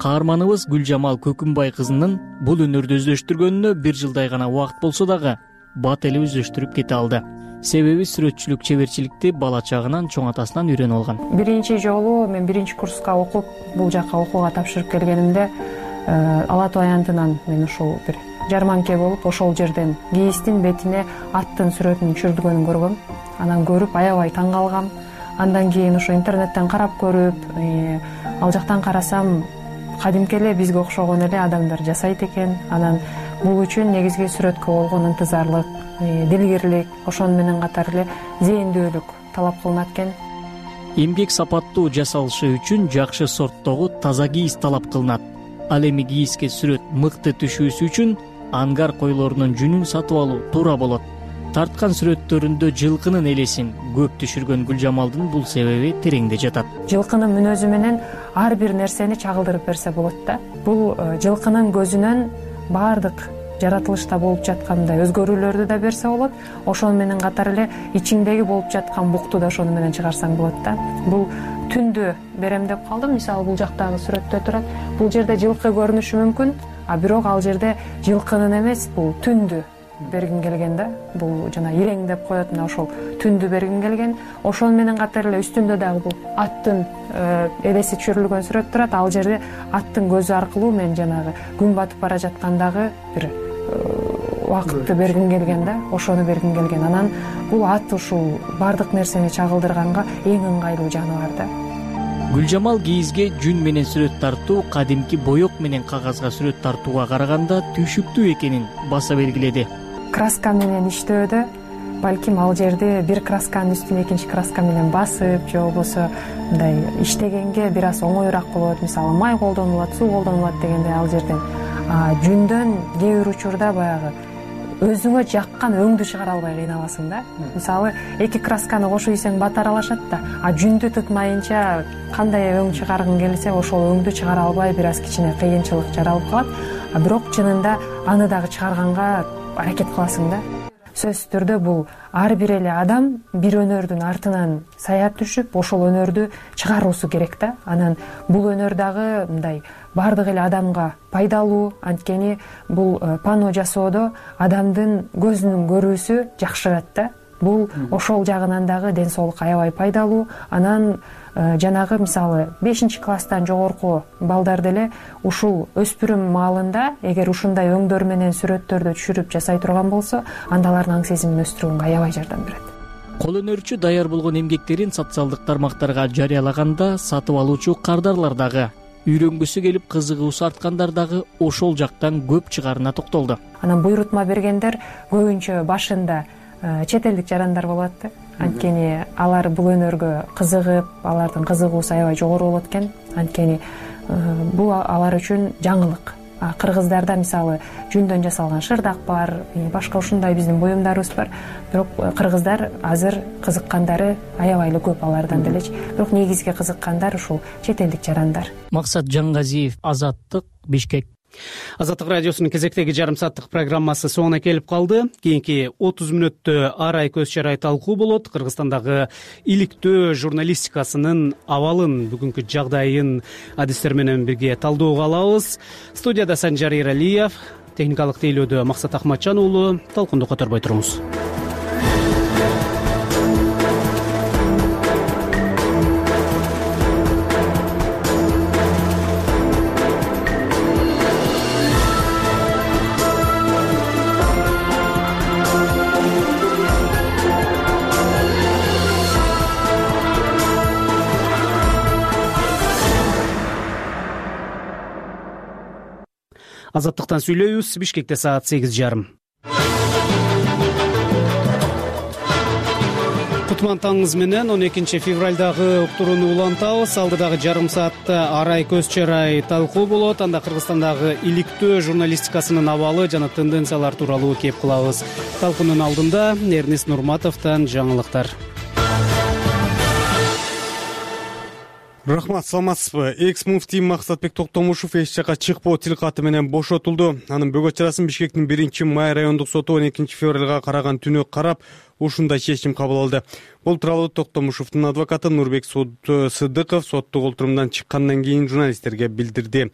S17: Каарманыбыз Гүлжамал Көкүмбай кызынын бул өнөрдү өздөштүргөнүнө бир жылдай гана убакыт болсо дагы бат эле өздөштүрүп кете алды. Себеби сүрөтчүлүк чеберчиликти бала чагынан чоң атасынан үйрөнүп алган.
S18: Биринчи жолу мен биринчи курска окуп, бул жака окууга тапшырып келгенимде Ала Тоо аянтынан мен ушул бир жарманке болуп, ошол жерден кийиздин бетине аттын сүрөтүнүн түшүрүлгөнүн көргөм. Анан көрүп аябай таң калгам. Андан кийин ошо интернеттен карап көрүп, ал жактан карасам кадимки эле бизге окшогон эле адамдар жасайт экен. Анан бул үчүн негизги сүрөткө болгон ынтызарлык, дилгирлик, ошону менен катар эле зээндүүлүк талап кылынат экен.
S17: Эмгек сапаттуу жасалышы үчүн жакшы сорттогу таза кийиз талап кылынат. Ал эми кийизге сүрөт мыкты түшүүсү үчүн аңгар койлорунун жүнүн сатып алуу туура болот. Тарткан сүрөттөрүндө жылкынын элесин көп түшүргөн Гүлжамалдын бул себеби тереңде жатат.
S18: Жылкынын мүнөзү менен ар бир нерсени чагылдырып берсе болот да. Бул жылкынын көзүнөн баардык жаратылышта болуп жаткандай өзгөрүүлөрдү да берсе болот. Ошону менен катар эле ичиңдеги болуп жаткан букту да ошону менен чыгарсаң болот да. Бул түндү берем деп калдым. Мисалы бул жактагы сүрөттө турат. Бул жерде жылкы көрүнүшү мүмкүн, а бирок ал жерде жылкынын эмес, бул түндү бергим келген да. Бул жана ирең деп коет, мына ошол түндү бергим келген. Ошону менен катар эле үстүндө дагы бул аттын элеси түшүрүлгөн сүрөт турат. Ал жерде аттын көзү аркылуу мен жанагы күн батып бара жаткандагы бир убакытты бергим келген да. Ошону бергим келген. Анан бул ат ушул баардык нерсени чагылдырганга эң ыңгайлуу жаныбар да.
S17: Гүлжамал кийизге жүн менен сүрөт тартуу кадимки боек менен кагазга сүрөт тартууга караганда түшүктүү экенин баса белгиледи.
S18: Краска менен иштөөдө балким ал жерде бир красканын үстүнө экинчи краска менен басып, же болбосо мындай иштегенге бир аз оңоюраак болот. Мисалы май колдонулат, суу колдонулат дегенде ал жерден жүндөн кээ бир учурда баягы өзүңө жаккан өңдү чыгара албай кыйналасың да. Мисалы эки красканы кошуп ийсең бат аралашат да, а жүндү тыкмайынча кандай өң чыгаргың келсе ошол өңдү чыгара албай бир аз кичине кыйынчылык жаралып калат. А бирок чынында аны дагы чыгарганга аракет кыласың да. Сөзсүз түрдө бул ар бир эле адам бир өнөрдүн артынан саят түшүп, ошол өнөрдү чыгаруусу керек да. Анан бул өнөр дагы мындай баардык эле адамга пайдалуу, анткени бул панно жасоодо адамдын көзүнүн көрүүсү жакшырат да. Бул ошол жагынан дагы ден соолукка аябай пайдалуу. Анан жанагы мисалы бешинчи класстан жогорку балдар деле ушул өспүрүм маалында эгер ушундай өңдөр менен сүрөттөрдү түшүрүп жасай турган болсо, анда алардын аң сезимин өстүрүүгө аябай жардам берет.
S17: Кол өнөрчү даяр болгон эмгектерин социалдык тармактарга жарыялаганда сатып алуучу кардарлар дагы, үйрөнгүсү келип кызыгуусу арткандар дагы ошол жактан көп чыгарына токтолду.
S18: Анан буйрутма бергендер көбүнчө башында чет элдик жарандар болот да. Анткени алар бул өнөргө кызыгып, алардын кызыгуусу аябай жогору болот экен. Анткени бул алар үчүн жаңылык. Кыргыздарда мисалы жүндөн жасалган шырдак бар, башка ушундай биздин буюмдарыбыз бар. Бирок кыргыздар азыр кызыккандары аябай эле көп алардан делечи. Бирок негизги кызыккандар ушул чет элдик жарандар.
S17: Максат Жаңгазиев, Азаттык, Бишкек.
S1: Азаттык радиосунун кезектеги жарым сааттык программасы соңуна келип калды. Кийинки отуз мүнөттө арай көз чарай талкуу болот. Кыргызстандагы иликтөө журналистикасынын абалын, бүгүнкү жагдайын адистер менен бирге талдоого алабыз. Студияда Санжар Эралиев, техникалык тейлөөдө Максат Ахматжан уулу. Талкунду которбой туруңуз. Азаттыктан сүйлөйбүз. Бишкекте саат сегиз жарым. Кутман таңыңыз менен он экинчи февралдагы уктурууну улантабыз. Алдыдагы жарым саатта арай көз чарай талкуу болот. Анда Кыргызстандагы иликтөө журналистикасынын абалы жана тенденциялар тууралуу кеп кылабыз. Талкуунун алдында Эрнест Нурматовдон жаңылыктар.
S4: Рахмат, саламатсызбы? Экс муфтий Максатбек Токтомушев эч жака чыкпоо тил каты менен бошотулду. Анын бөгөт чарасын Бишкектин биринчи май райондук соту он экинчи февралга караган түнү карап, ушундай чечим кабыл алды. Бул тууралуу Токтомушевдун адвокаты Нурбек Сыдыков соттук олтурумдан чыккандан кийин журналисттерге билдирди.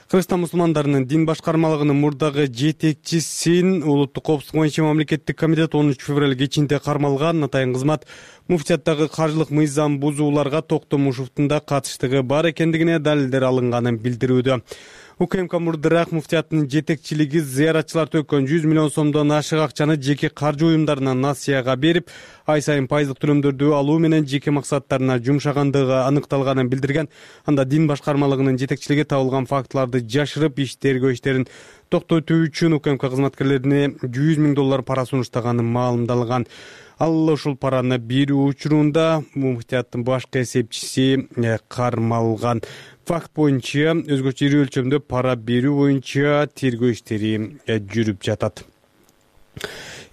S4: Кыргызстан мусулмандарынын дин башкармалыгынын мурдагы жетекчисин улуттук коопсуздук боюнча мамлекеттик комитет онунчу февраль кечинде кармалган. Атайын кызмат муфтияттагы каржылык мыйзам бузууларга Токтомушевдун да катыштыгы бар экендигине далилдер алынганын билдирүүдө. УКМК мурдыраак муфтияттын жетекчилиги зыяратчылар төккөн жүз миллион сомдон ашык акчаны жеке каржы уюмдарына насыяга берип, ай сайын пайыздык төлөмдөрдү алуу менен жеке максаттарына жумшагандыгы аныкталганын билдирген. Анда дин башкармалыгынын жетекчилиги табылган фактыларды жашырып, иш тергөө иштерин токтотуу үчүн УКМК кызматкерлерине жүз миң доллар пара сунуштаганы маалымдалган. Ал ушул параны берүү учурунда муфтияттын башкы эсепчиси кармалган. Факт боюнча өзгөчө ири өлчөмдө пара берүү боюнча тергөө иштери жүрүп жатат.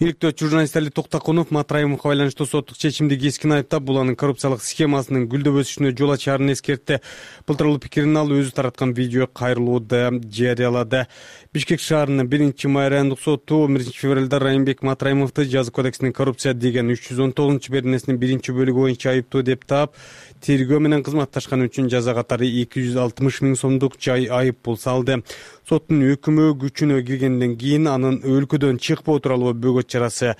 S4: Иликтөөчү журналист Али Токтакунов Матраимовго байланыштуу соттук чечимди кескин айыптап, бул анын коррупциялык схемасынын гүлдөп өсүшүнө жол ачаарын эскертти. Бул тууралуу пикирин ал өзү тараткан видео кайрылууда жарыялады. Бишкек шаарынын биринчи май райондук соту он биринчи февралда Райымбек Матраимовду жаза кодексинин коррупция деген үч жүз он тогузунчу беренесинин биринчи бөлүгү боюнча айыптуу деп таап, тергөө менен кызматташканы үчүн жаза катары эки жүз алтымыш миң сомдук жай айып пул салды. Соттун өкүмү күчүнө киргенден кийин анын өлкөдөн чыкпоо тууралуу бөгөт чарасы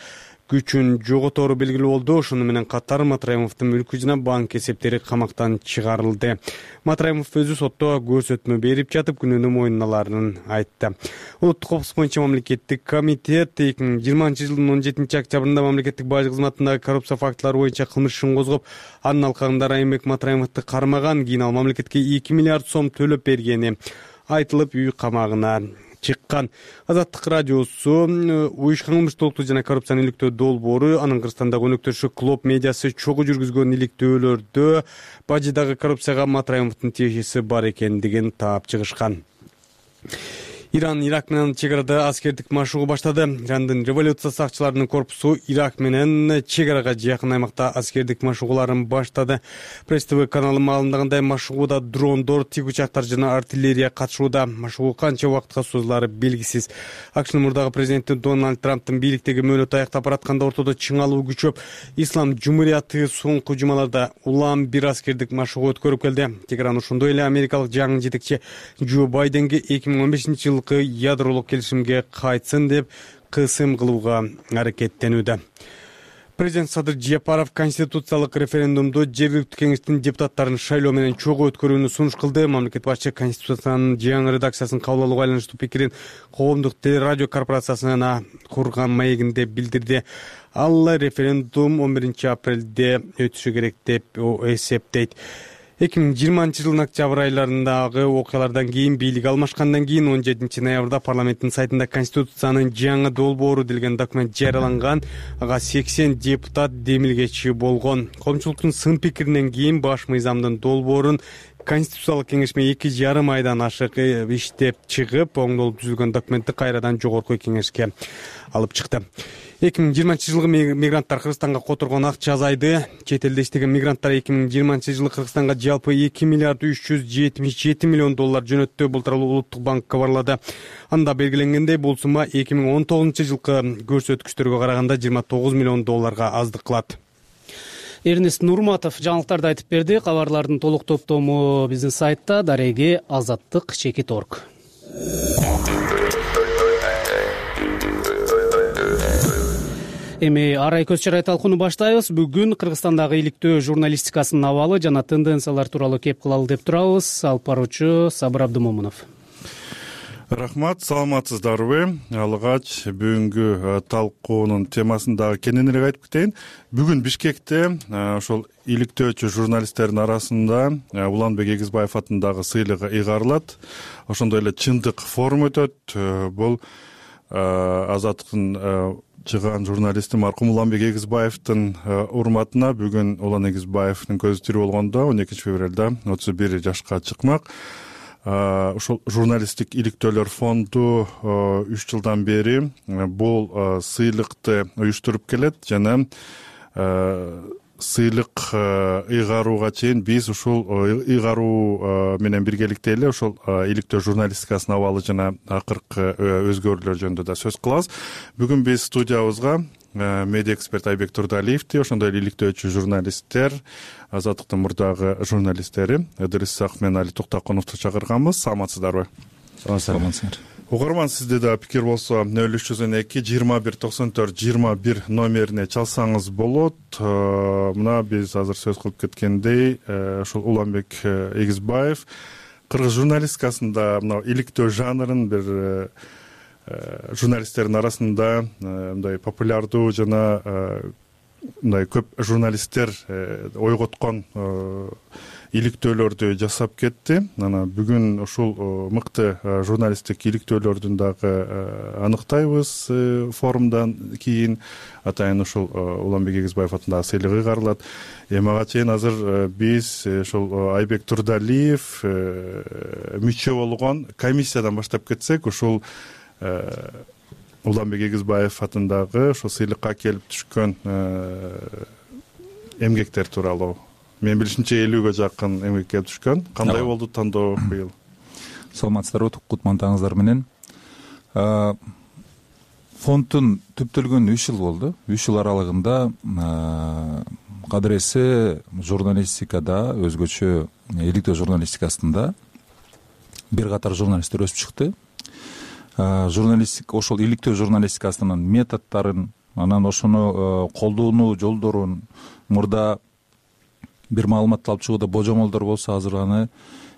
S4: күчүн жоготору белгилүү болду. Ошону менен катар Матраимовдун мүлкү жана банк эсептери камактан чыгарылды. Матраимов өзү сотто көрсөтмө берип жатып, күнөөнү мойнуналарын айтты. Улуттук коопсуздук боюнча мамлекеттик комитет эки миң жыйырманчы жылдын он жетинчи октябрында мамлекеттик бажы кызматындагы коррупция фактылары боюнча кылмыш ишин козгоп, анын алкагында Райымбек Матраимовду кармаган. Кийин ал мамлекетке эки миллиард сом төлөп бергени айтылып, үй камагына чыккан. Азаттык радиосу уюшкан кылмыштуулукту жана коррупцияны иликтөө долбоору, анын Кыргызстандагы өнөктөшү Клоп медиасы чогуу жүргүзгөн иликтөөлөрдө бажыдагы коррупцияга Матраимовдун тиешеси бар экендигин таап чыгышкан. Иран Ирак менен чек арада аскердик машыгуу баштады. Ирандын революция сакчыларынын корпусу Ирак менен чек арага жакын аймакта аскердик машыгууларын баштады. Пресс ТВ каналы маалымдагандай, машыгууда дрондор, тик учактар жана артиллерия катышууда. Машыгуу канча убакытка созулары белгисиз. АКШнын мурдагы президенти Дональд Трамптын бийликтеги мөөнөтү аяктап баратканда ортодо чыңалуу күчөп, Ислам Жумурияты соңку жумаларда улам бир аскердик машыгуу өткөрүп келди. Тегеран ошондой эле америкалык жаңы жетекчи Джо Байденге эки миң он бешинчи жылы ядролук келишимге кайтсын деп кысым кылууга аракеттенүүдө. Президент Садыр Жапаров конституциялык референдумду жергиликтүү кеңештин депутаттарын шайлоо менен чогуу өткөрүүнү сунуш кылды. Мамлекет башчы конституциянын жаңы редакциясын кабыл алууга байланыштуу пикирин коомдук телерадио корпорациясына курган маегинде билдирди. Ал референдум он биринчи апрелде өтүшү керек деп эсептейт. эки миң жыйырманчы жылдын октябрь айларындагы окуялардан кийин бийлик алмашкандан кийин он жетинчи ноябрда парламенттин сайтында конституциянын жаңы долбоору делген документ жарыяланган. Ага сексен депутат демилгечи болгон. Коомчулуктун сын пикиринен кийин баш мыйзамдын долбоорун Конституциялык кеңешме эки жарым айдан ашык иштеп чыгып, оңдолуп түзүлгөн документти кайрадан жогорку кеңешке алып чыкты. эки миң жыйырманчы жылы мигранттар Кыргызстанга которгон акча азайды. Чет элде иштеген мигранттар эки миң жыйырманчы жылы Кыргызстанга жалпы эки миллиард үч жүз жетимиш жети миллион доллар жөнөттү. Бул тууралуу Улуттук банк кабарлады. Анда белгиленгендей, бул сумма эки миң он тогузунчу жылкы көрсөткүчтөргө караганда жыйырма тогуз миллион долларга аздык кылат.
S1: Эрнест Нурматов жаңылыктарды айтып берди. Кабарлардын толук топтому биздин сайтта дареги азаттык чекит орг. Эми арай көз чарай талкууну баштайбыз. Бүгүн Кыргызстандагы иликтөө журналистикасынын абалы жана тенденциялар тууралуу кеп кылалы деп турабыз. Алып баруучу Сабыр Абдымомунов.
S15: Рахмат, саламатсыздарбы? Алгач бүгүнкү талкуунун темасын дагы кененирээк айтып кетейин. Бүгүн Бишкекте ошол иликтөөчү журналисттердин арасында Уланбек Эгизбаев атындагы сыйлык ыйгарылат. Ошондой эле чындык форум өтөт. Бул Азаттыктын чыган журналисти маркум Уланбек Эгизбаевдин урматына бүгүн Улан Эгизбаевдин көзү тирүү болгондо он экинчи февралда отуз бир жашка чыкмак. Ошол журналисттик иликтөөлөр фонду үч жылдан бери бул сыйлыкты уюштуруп келет жана сыйлык ыйгарууга чейин биз ушул ыйгаруу менен биргеликте эле ошол иликтөө журналистикасынын абалы жана акыркы өзгөрүүлөр жөнүндө да сөз кылабыз. Бүгүн биз студиябызга медиа эксперт Айбек Турдалиевди, ошондой эле иликтөөчү журналисттер, Азаттыктын мурдагы журналисттери Ыдырыс Исаков менен Али Токтокуновду чакырганбыз. Саламатсыздарбы?
S19: Саламатсыздар.
S15: Угарман, сизде да пикир болсо нөл үч жүз он эки жыйырма бир токсон төрт жыйырма бир номерине чалсаңыз болот. Мына биз азыр сөз кылып кеткендей, ошол Уланбек Эгизбаев кыргыз журналистикасында мына иликтөө жанрын бир журналисттердин арасында мындай популярдуу жана мындай көп журналисттер ойготкон иликтөөлөрдү жасап кетти. Анан бүгүн ушул мыкты журналисттик иликтөөлөрдүн дагы аныктайбыз. Форумдан кийин атайын ушул Уланбек Эгизбаев атындагы сыйлык ыйгарылат. Эми ага чейин азыр биз ушул Айбек Турдалиев мүчө болгон комиссиядан баштап кетсек, ушул Уланбек Эгизбаев атындагы ошол сыйлыкка келип түшкөн эмгектер тууралуу. Мен билишимче элүүгө жакын эмгек келип түшкөн. Кандай болду тандоо быйыл?
S19: Саламатсыздарбы, кутмандыгыңыздар менен. Фонддун түптөлгөнүнө үч жыл болду. үч жыл аралыгында кадыресе журналистикада, өзгөчө иликтөө журналистикасында бир катар журналисттер өсүп чыкты. Журналистик ошол иликтөө журналистикасынын методдорун, анан ошону колдонуу жолдорун, мурда бир маалыматты алып чыгууда божомолдор болсо азыр аны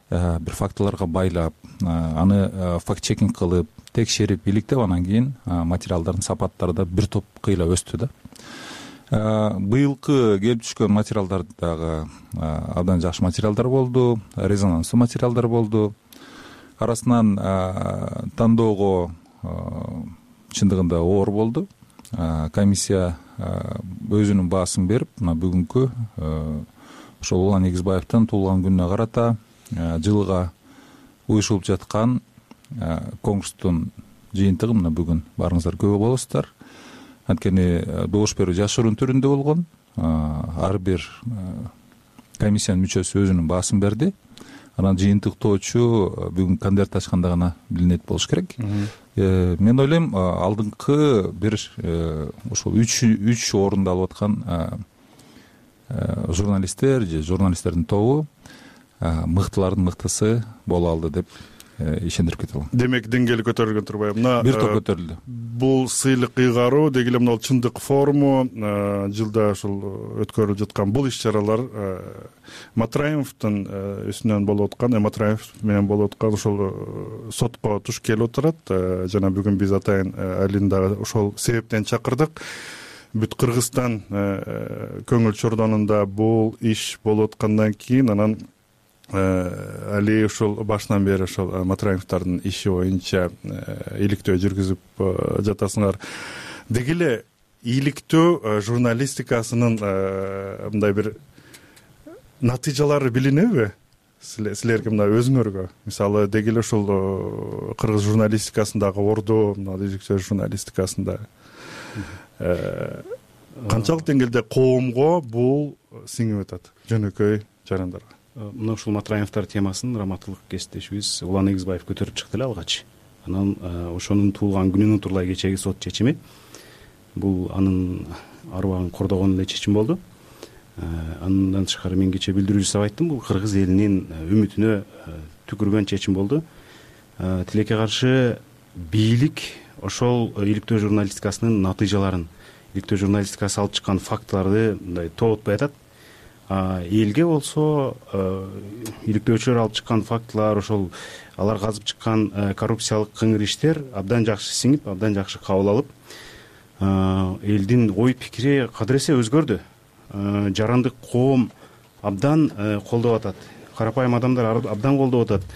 S19: бир фактыларга байлап, аны факт чекинг кылып, текшерип, иликтеп, анан кийин материалдардын сапаттары да бир топ кыйла өстү да. Быйылкы келип түшкөн материалдар дагы абдан жакшы материалдар болду, резонанстуу материалдар болду. Арасынан тандоого чындыгында оор болду. Комиссия өзүнүн баасын берип, мына бүгүнкү ошол Улан Эгизбаевдин туулган күнүнө карата жылга уюшулуп жаткан конкурстун жыйынтыгы мына бүгүн баарыңыздар күбө болосуздар. Анткени добуш берүү жашыруун түрүндө болгон. Ар бир комиссиянын мүчөсү өзүнүн баасын берди. Анан жыйынтыктоочу бүгүн конверт ачканда гана билинет болуш керек. Мен ойлойм, алдыңкы бир ошол үч үч орунду алып аткан журналисттер же журналисттердин тобу мыктылардын мыктысы боло алды деп ишендирип кете алам.
S15: Демек деңгээли көтөрүлгөн турбайбы? Мына
S19: бир топ көтөрүлдү.
S15: Бул сыйлык ыйгаруу деги эле мына чындык форуму жылда ушул өткөрүлүп жаткан бул иш-чаралар Матраимовдун үстүнөн болуп аткан, Матраимов менен болуп аткан ошол сотко туш келип отурат. Жана бүгүн биз атайын Алини дагы ошол себептен чакырдык. Бүт Кыргызстан көңүл чордонунда бул иш болуп аткандан кийин анан Али ушул башынан бери ошол Матраимовдордун иши боюнча иликтөө жүргүзүп жатасыңар. Деги эле иликтөө журналистикасынын мындай бир натыйжалары билинеби силерге, мына өзүңөргө? Мисалы, деги эле ушул кыргыз журналистикасындагы орду, мына иликтөө журналистикасында канчалык деңгээлде коомго бул сиңип атат, жөнөкөй жарандарга?
S20: Мына ушул Матраимовдор темасын раматылык кесиптешибиз Улан Эгизбаев көтөрүп чыкты эле алгач. Анан ошонун туулган күнүнүн турулай кечеги сот чечими бул анын арыбагын кордогон эле чечим болду. Андан тышкары мен кечээ билдирүү жасап айттым, бул кыргыз элинин үмүтүнө түкүргөн чечим болду. Тилекке каршы бийлик ошол иликтөө журналистикасынын натыйжаларын, иликтөө журналистикасы алып чыккан фактыларды мындай тоботпой атат. Элге болсо иликтөөчүлөр алып чыккан фактылар, ошол алар казып чыккан коррупциялык кыңыр иштер абдан жакшы сиңип, абдан жакшы кабыл алып, элдин ой пикири кадыресе өзгөрдү. Жарандык коом абдан колдоп атат, карапайым адамдар абдан колдоп атат.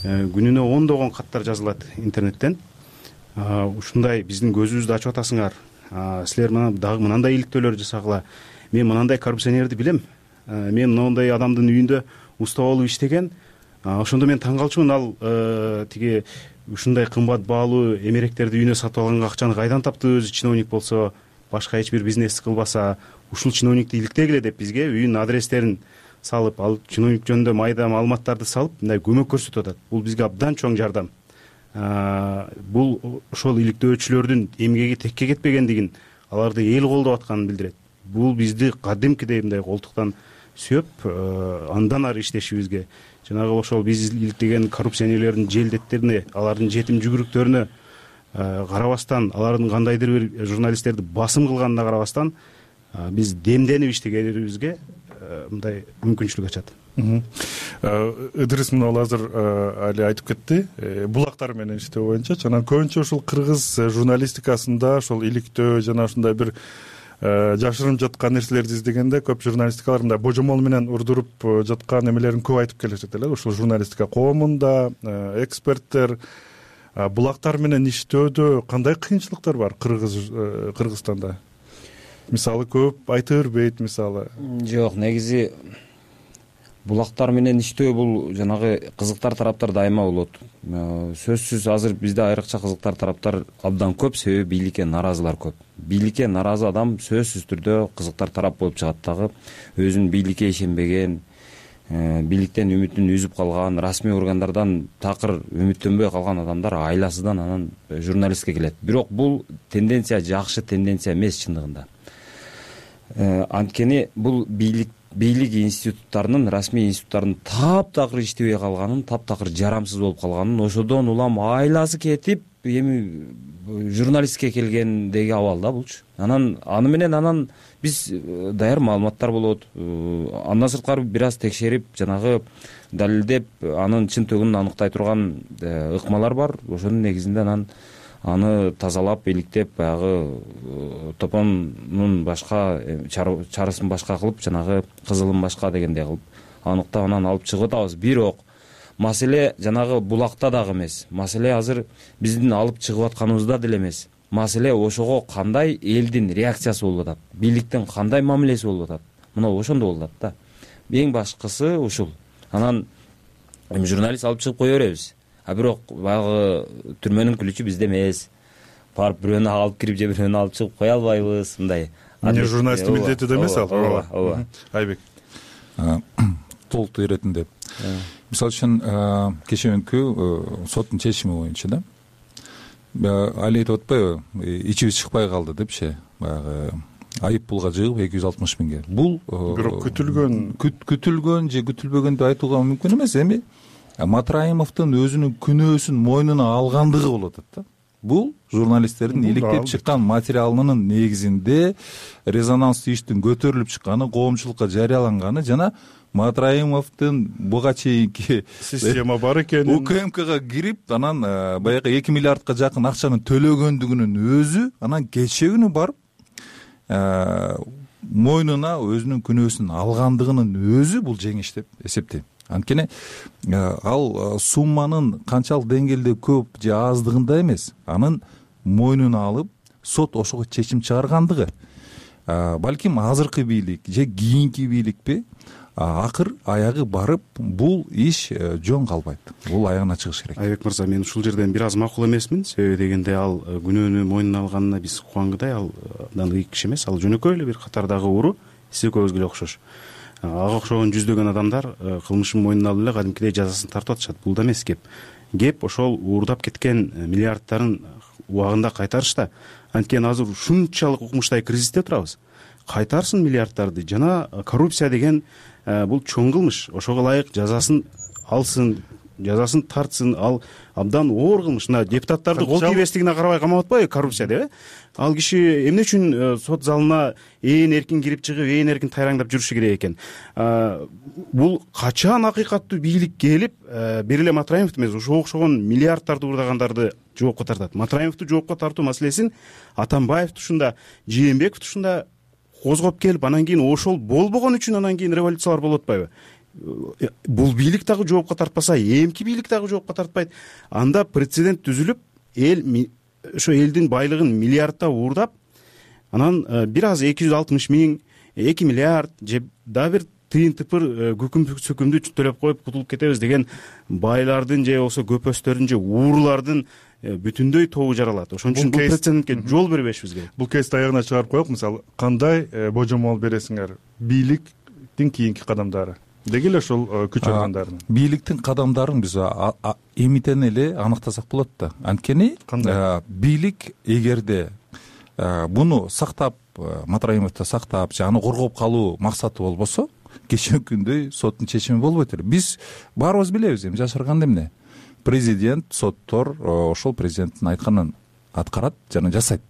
S20: Күнүнө ондогон каттар жазылат интернеттен. Ушундай биздин көзүбүздү ачып атасыңар, силер дагы мынандай иликтөөлөр жасагыла, мен мынандай коррупционерди билем, мен мындай адамдын үйүндө уста болуп иштеген, ошондо мен таң калчумун, ал тиги ушундай кымбат баалуу эмеректерди үйүнө сатып алганга акчаны кайдан таптı, өзү чиновник болсо, башка эч бир бизнес кылбаса, ушул чиновникти иликтегиле деп бизге үйүнүн адрестерин салып, ал чиновник жөнүндө майда маалыматтарды салып, мындай көмөк көрсөтүп атат. Бул бизге абдан чоң жардам. Бул ошол иликтөөчүлөрдүн эмгеги текке кетпегендигин, аларды эл колдоп атканын билдирет. Бул бизди кадимкидей мындай колтуктан сүйөп, андан ары иштешибизге, жанагы ошол биз иликтеген коррупционерлердин желдеттерине, алардын жетим жүгүрүктөрүнө карабастан, алардын кандайдыр бир журналисттерди басым кылганына карабастан, биз демденип иштегенибизге мындай мүмкүнчүлүк ачат.
S15: Ыдырыс мына азыр али айтып кетти, булактар менен иштөө боюнча. Жана көбүнчө ушул кыргыз журналистикасында ошол иликтөө жана ушундай бир жашырынып жаткан нерселерди издегенде көп журналистикалар мындай божомол менен урдуруп жаткан эмелерин көп айтып келишет эле. Ушул журналистика коомунда эксперттер булактар менен иштөөдө кандай кыйынчылыктар бар кыргыз Кыргызстанда? Мисалы көп айта бербейт, мисалы.
S21: Жок, негизи булактар менен иштөө бул жанагы кызыктар тараптар дайыма болот. Сөзсүз азыр бизде айрыкча кызыктар тараптар абдан көп, себеби бийликке наразылар көп. Бийликке наразы адам сөзсүз түрдө кызыктар тарап болуп чыгат дагы. Өзүн бийликке ишенбеген, бийликтен үмүтүн үзүп калган, расмий органдардан такыр үмүттөнбөй калган адамдар айласыдан анан журналистке келет. Бирок бул тенденция жакшы тенденция эмес чындыгында. Анткени бул бийлик бийлик институттарынын, расмий институттарынын таптакыр иштебей калганын, таптакыр жарамсыз болуп калганын, ошодон улам айласы кетип, эми журналистке келгендеги абал да булчу. Анан аны менен анан биз даяр маалыматтар болот. Андан сырткары бир аз текшерип, жанагы далилдеп, анын чын төгүнүн аныктай турган ыкмалар бар. Ошонун негизинде анан аны тазалап, иликтеп, баягы топонун башка чарысын башка кылып, жанагы кызылын башка дегендей кылып аныктап анан алып чыгып атабыз. Бирок маселе жанагы булакта дагы эмес. Маселе азыр биздин алып чыгып атканыбызда деле эмес. Маселе ошого кандай элдин реакциясы болуп атат, бийликтин кандай мамилеси болуп атат. Мына ошондо болуп атат да. Эң башкысы ушул. Анан эми журналист алып чыгып кое беребиз. А бирок баягы түрмөнүн күлүчү бизде эмес. Барып бирөөнү алып кирип же бирөөнү алып чыгып кое албайбыз, мындай.
S15: Эмне журналисттин милдети да эмес ал.
S21: Ооба, ооба.
S15: Айбек.
S19: Толуктуу иретин деп. Мисалы үчүн кечээкү соттун чечими боюнча да. Али айтып атпайбы, ичибиз чыкпай калды депчи, баягы айып пулга жыгып эки жүз алтымыш миңге. Бул
S15: бирок күтүлгөн
S19: күтүлгөн же күтүлбөгөн деп айтууга мүмкүн эмес. Эми Матраимовдун өзүнүн күнөөсүн мойнуна алгандыгы болуп атат да. Бул журналисттердин иликтеп чыккан материалынын негизинде резонанстуу иштин көтөрүлүп чыкканы, коомчулукка жарыяланганы жана Матраимовдун буга чейинки
S15: система бар экенин,
S19: УКМКга кирип, анан баягы эки миллиардка жакын акчаны төлөгөндүгүнүн өзү, анан кечээ күнү барып мойнуна өзүнүн күнөөсүн алгандыгынын өзү бул жеңиш деп эсептейм. Анткени ал сумманын канчалык деңгээлде көп же аздыгында эмес, анын мойнуна алып сот ошого чечим чыгаргандыгы. Балким азыркы бийлик же кийинки бийликпи акыр аягы барып бул иш жөн калбайт, бул аягына чыгыш керек.
S20: Айбек мырза, мен ушул жерден бир аз макул эмесмин. Себеби дегенде ал күнөөнү мойнуна алганына биз кубангыдай, ал абдан ыйык киши эмес, ал жөнөкөй эле бир катардагы уру, биз экөөбүзгө эле окшош. Ага окшогон жүздөгөн адамдар кылмышын мойнуна алып эле кадимкидей жазасын тартып атышат. Бул да эмес кеп. Кеп ошол уурдап кеткен миллиардтарын убагында кайтарышта. Анткени азыр ушунчалык укмуштай кризисте турабыз. Кайтарсын миллиарддарды. Жана коррупция деген бул чоң кылмыш. Ошого ылайык жазасын алсын, жазасын тартсын. Ал абдан оор кылмыш. Мына депутаттарды кол тийбестигине карабай камап атпайбы коррупция деп, э? Ал киши эмне үчүн сот залына ээн эркин кирип чыгып, ээн эркин тайраңдап жүрүшү керек экен? Бул качан акыйкаттуу бийлик келип, бир эле Матраимов эмес, ошого окшогон миллиарддарды уурдагандарды жоопко тартат. Матраимовду жоопко тартуу маселесин Атамбаев тушунда, Жээнбеков тушунда козгоп келип, анан кийин ошол болбогон үчүн анан кийин революциялар болуп атпайбы? Бул бийлик дагы жоопко тартпаса, эмки бийлик дагы жоопко тартпайт. Анда прецедент түзүлүп, эл ошо элдин байлыгын миллиардта уурдап, анан бир аз эки жүз алтымыш миң, эки миллиард же дагы бир тыйын тыпыр күкүм сөкүмдү төлөп коюп кутулуп кетебиз деген байлардын же болбосо көпөстөрдүн же уурулардын бүтүндөй тобу жаралат. Ошон үчүн бул прецедентке жол бербешибиз керек.
S15: Бул кейсти аягына чыгарып коелук. Мисалы, кандай божомол бересиңер бийликтин кийинки кадамдары? Деги эле ушул күч органдарын.
S19: Бийликтин кадамдарын биз эмитен эле аныктасак болот да. Анткени бийлик эгерде буну сактап, Матраимовду сактап, же аны коргоп калуу максаты болбосо, кечээ күндөй соттун чечими болбойт эле. Биз баарыбыз билебиз, эми жашырганда эмне? Президент, соттор ошол президенттин айтканын аткарат жана жасайт.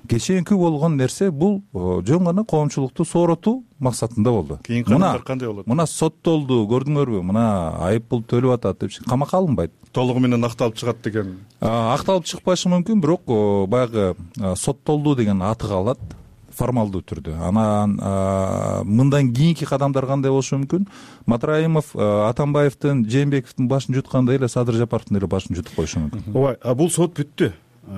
S19: Кечээинки болгон нерсе бул жөн гана коомчулукту сооротуу максатында болду.
S15: Кийинки кадамдар кандай болот?
S19: Мына соттолду, көрдүңөрбү? Мына айып пул төлөп атат деп камакка алынбайт.
S15: Толугу менен акталып чыгат деген.
S19: Акталып чыкпашы мүмкүн, бирок баягы соттолду деген аты калат формалдуу түрдө. Анан мындан кийинки кадамдар кандай болушу мүмкүн? Матраимов Атамбаевдин, Жээнбековдун башын жуткандай эле Садыр Жапаровдун эле башын жутуп коюшу мүмкүн.
S20: Ооба, бул сот бүттү.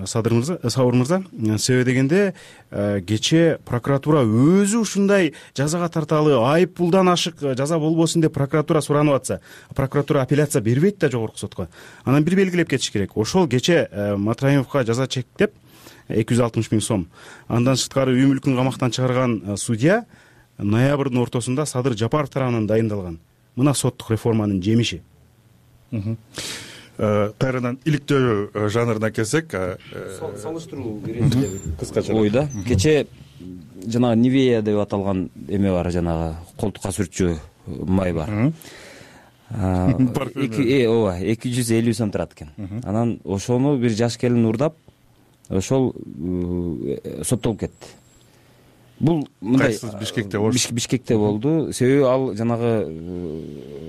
S20: Садыр мырза, Сабыр мырза, себеби дегенде кечээ прокуратура өзү ушундай жазага тарталы, айып пулдан ашык жаза болбосун деп прокуратура суранып атса, прокуратура апелляция бербейт да жогорку сотко. Анан бир белгилеп кетиш керек. Ошол кечээ Матраимовго жаза чектеп эки жүз алтымыш миң сом. Андан сырткары үй мүлкүн камактан чыгарган судья ноябрдын ортосунда Садыр Жапаров тарабынан дайындалган. Мына соттук реформанын жемиши.
S15: Кайрадан иликтөө жанрына келсек,
S21: салыштыруу кыскача ойда. Кечээ жанагы Нивея деп аталган эме бар, жанагы колтукка сүртчү май бар. Ооба, эки жүз элүү сом турат экен. Анан ошону бир жаш келин уурдап, ошол соттолуп кетти. Бул мындай
S15: Бишкекте
S21: Бишкекте болду. Себеби ал жанагы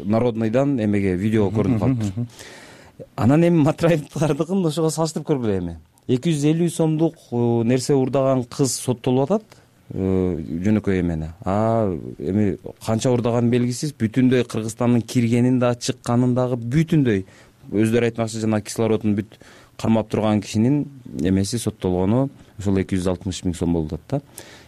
S21: Народныйдан эмеге видео көрүнүп калыптыр. Анан эми Матраевдикин ошого салыштырып көргүлө эми. эки жүз элүү сомдук нерсе уурдаган кыз соттолуп атат, жөнөкөй эмени. А эми канча уурдаганын белгисиз, бүтүндөй Кыргызстандын киргенин да, чыкканын дагы бүтүндөй өздөрү айтмакчы, жана кислородун бүт кармап турган кишинин эмеси соттолгону ошол эки жүз алтымыш миң сом болуп атат да.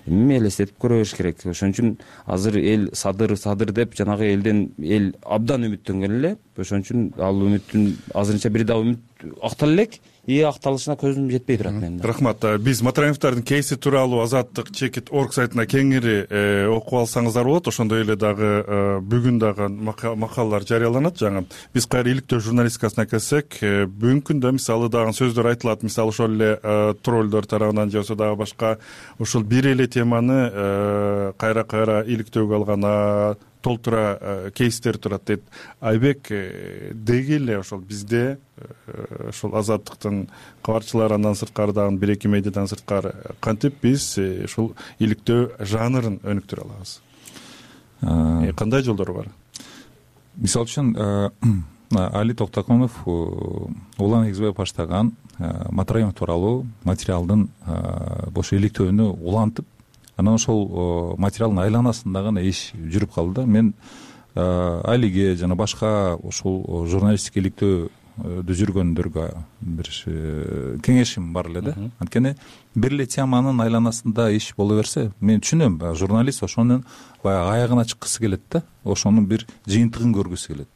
S21: Эми элестетип көрүш керек. Ошон үчүн азыр эл Садыр Садыр деп жанагы элден эл абдан үмүттөнгөн эле. Ошон үчүн ал үмүттүн азырынча бир да үмүт актала элек, и акталышына көзүм жетпей турат менин.
S15: Рахмат. Биз Матраимовдордун кейси тууралуу Азаттык чекит орг сайтына кеңири окуп алсаңыздар болот. Ошондой эле дагы бүгүн дагы макалалар жарыяланат. Жаңы биз кайра иликтөө журналистикасына келсек, бүгүнкү күндө мисалы дагы сөздөр айтылат. Мисалы ошол эле троллдор тарабынан же болбосо дагы башка ошол бир эле теманы кайра кайра иликтөөгө алган толтура кейстер турат дейт. Айбек, деги эле ошол бизде ошол Азаттыктын кабарчылары, андан сырткары дагы бир эки медиадан сырткары кантип биз ушул иликтөө жанрын өнүктүрө алабыз? Кандай жолдору бар?
S19: Мисалы үчүн Али Токтоконов улан негизбей баштаган Матраимов тууралуу материалдын ошо иликтөөнү улантып, анан ошол материалдын айланасында гана иш жүрүп калды да. Мен Алиге жана башка ушул журналистик иликтөө жүргөндөргө бир кеңешим бар эле да. Анткени бир эле теманын айланасында иш боло берсе, мен түшүнөм, журналист ошонун баягы аягына чыккысы келет да, ошонун бир жыйынтыгын көргүсү келет.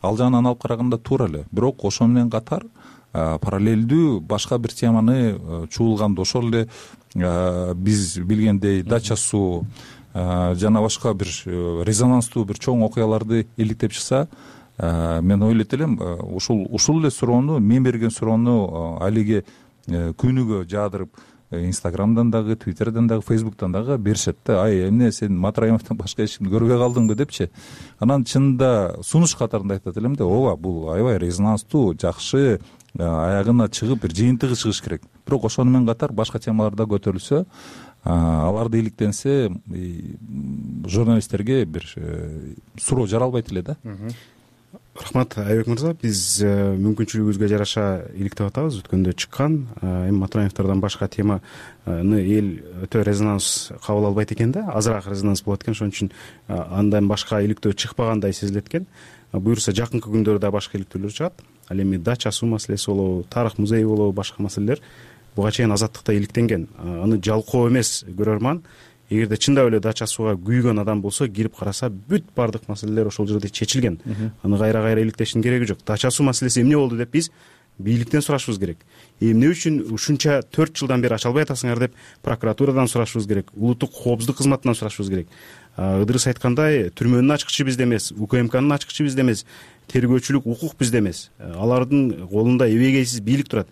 S19: Ал жагынан алып караганда туура эле. Бирок ошо менен катар параллелдүү башка бир теманы чуулганда, ошол эле биз билгендей дача суу жана башка бир резонанстуу бир чоң окуяларды иликтеп чыкса, мен ойлойт элем, ушул ушул эле суроону, мен берген суроону алиге күнүгө жаадырып Инстаграмдан дагы, Твиттерден дагы, Фейсбуктан дагы беришет да. Ай, эмне сен Матраимовдон башка эч кимди көрбөй калдыңбы депчи. Анан чынында сунуш катарында айтат элем да, ооба, бул аябай резонанстуу, жакшы, аягына чыгып бир жыйынтыгы чыгыш керек. Бирок ошону менен катар башка темаларда көтөрүлсө, аларды иликтенсе, журналисттерге бир суроо жаралбайт эле да.
S20: Рахмат Айбек мырза, биз мүмкүнчүлүгүбүзгө жараша иликтеп атабыз. Өткөндө чыккан эми Матраимовдордон башка теманы эл өтө резонанс кабыл албайт экен да, азыраак резонанс болот экен, ошон үчүн андан башка иликтөө чыкпагандай сезилет экен. Буюрса жакынкы күндөрдө башка иликтөөлөр чыгат. Ал эми дача суу маселеси болобу, тарых музейи болобу, башка маселелер буга чейин Азаттыкта иликтенген. Аны жалкоо эмес көрөрман. Эгерде чындап эле дача сууга күйгөн адам болсо, кирип караса, бүт бардык маселелер ошол жерде чечилген. Аны кайра кайра иликтештин кереги жок. Дача суу маселеси эмне болду деп биз бийликтен сурашыбыз керек. Эмне үчүн ушунча төрт жылдан бери ача албай атасыңар деп прокуратурадан сурашыбыз керек, улуттук коопсуздук кызматынан сурашыбыз керек. Ыдырыс айткандай, түрмөнүн ачкычы бизде эмес, УКМКнын ачкычы бизде эмес, тергөөчүлүк укук бизде эмес. Алардын колунда эбегейсиз бийлик турат.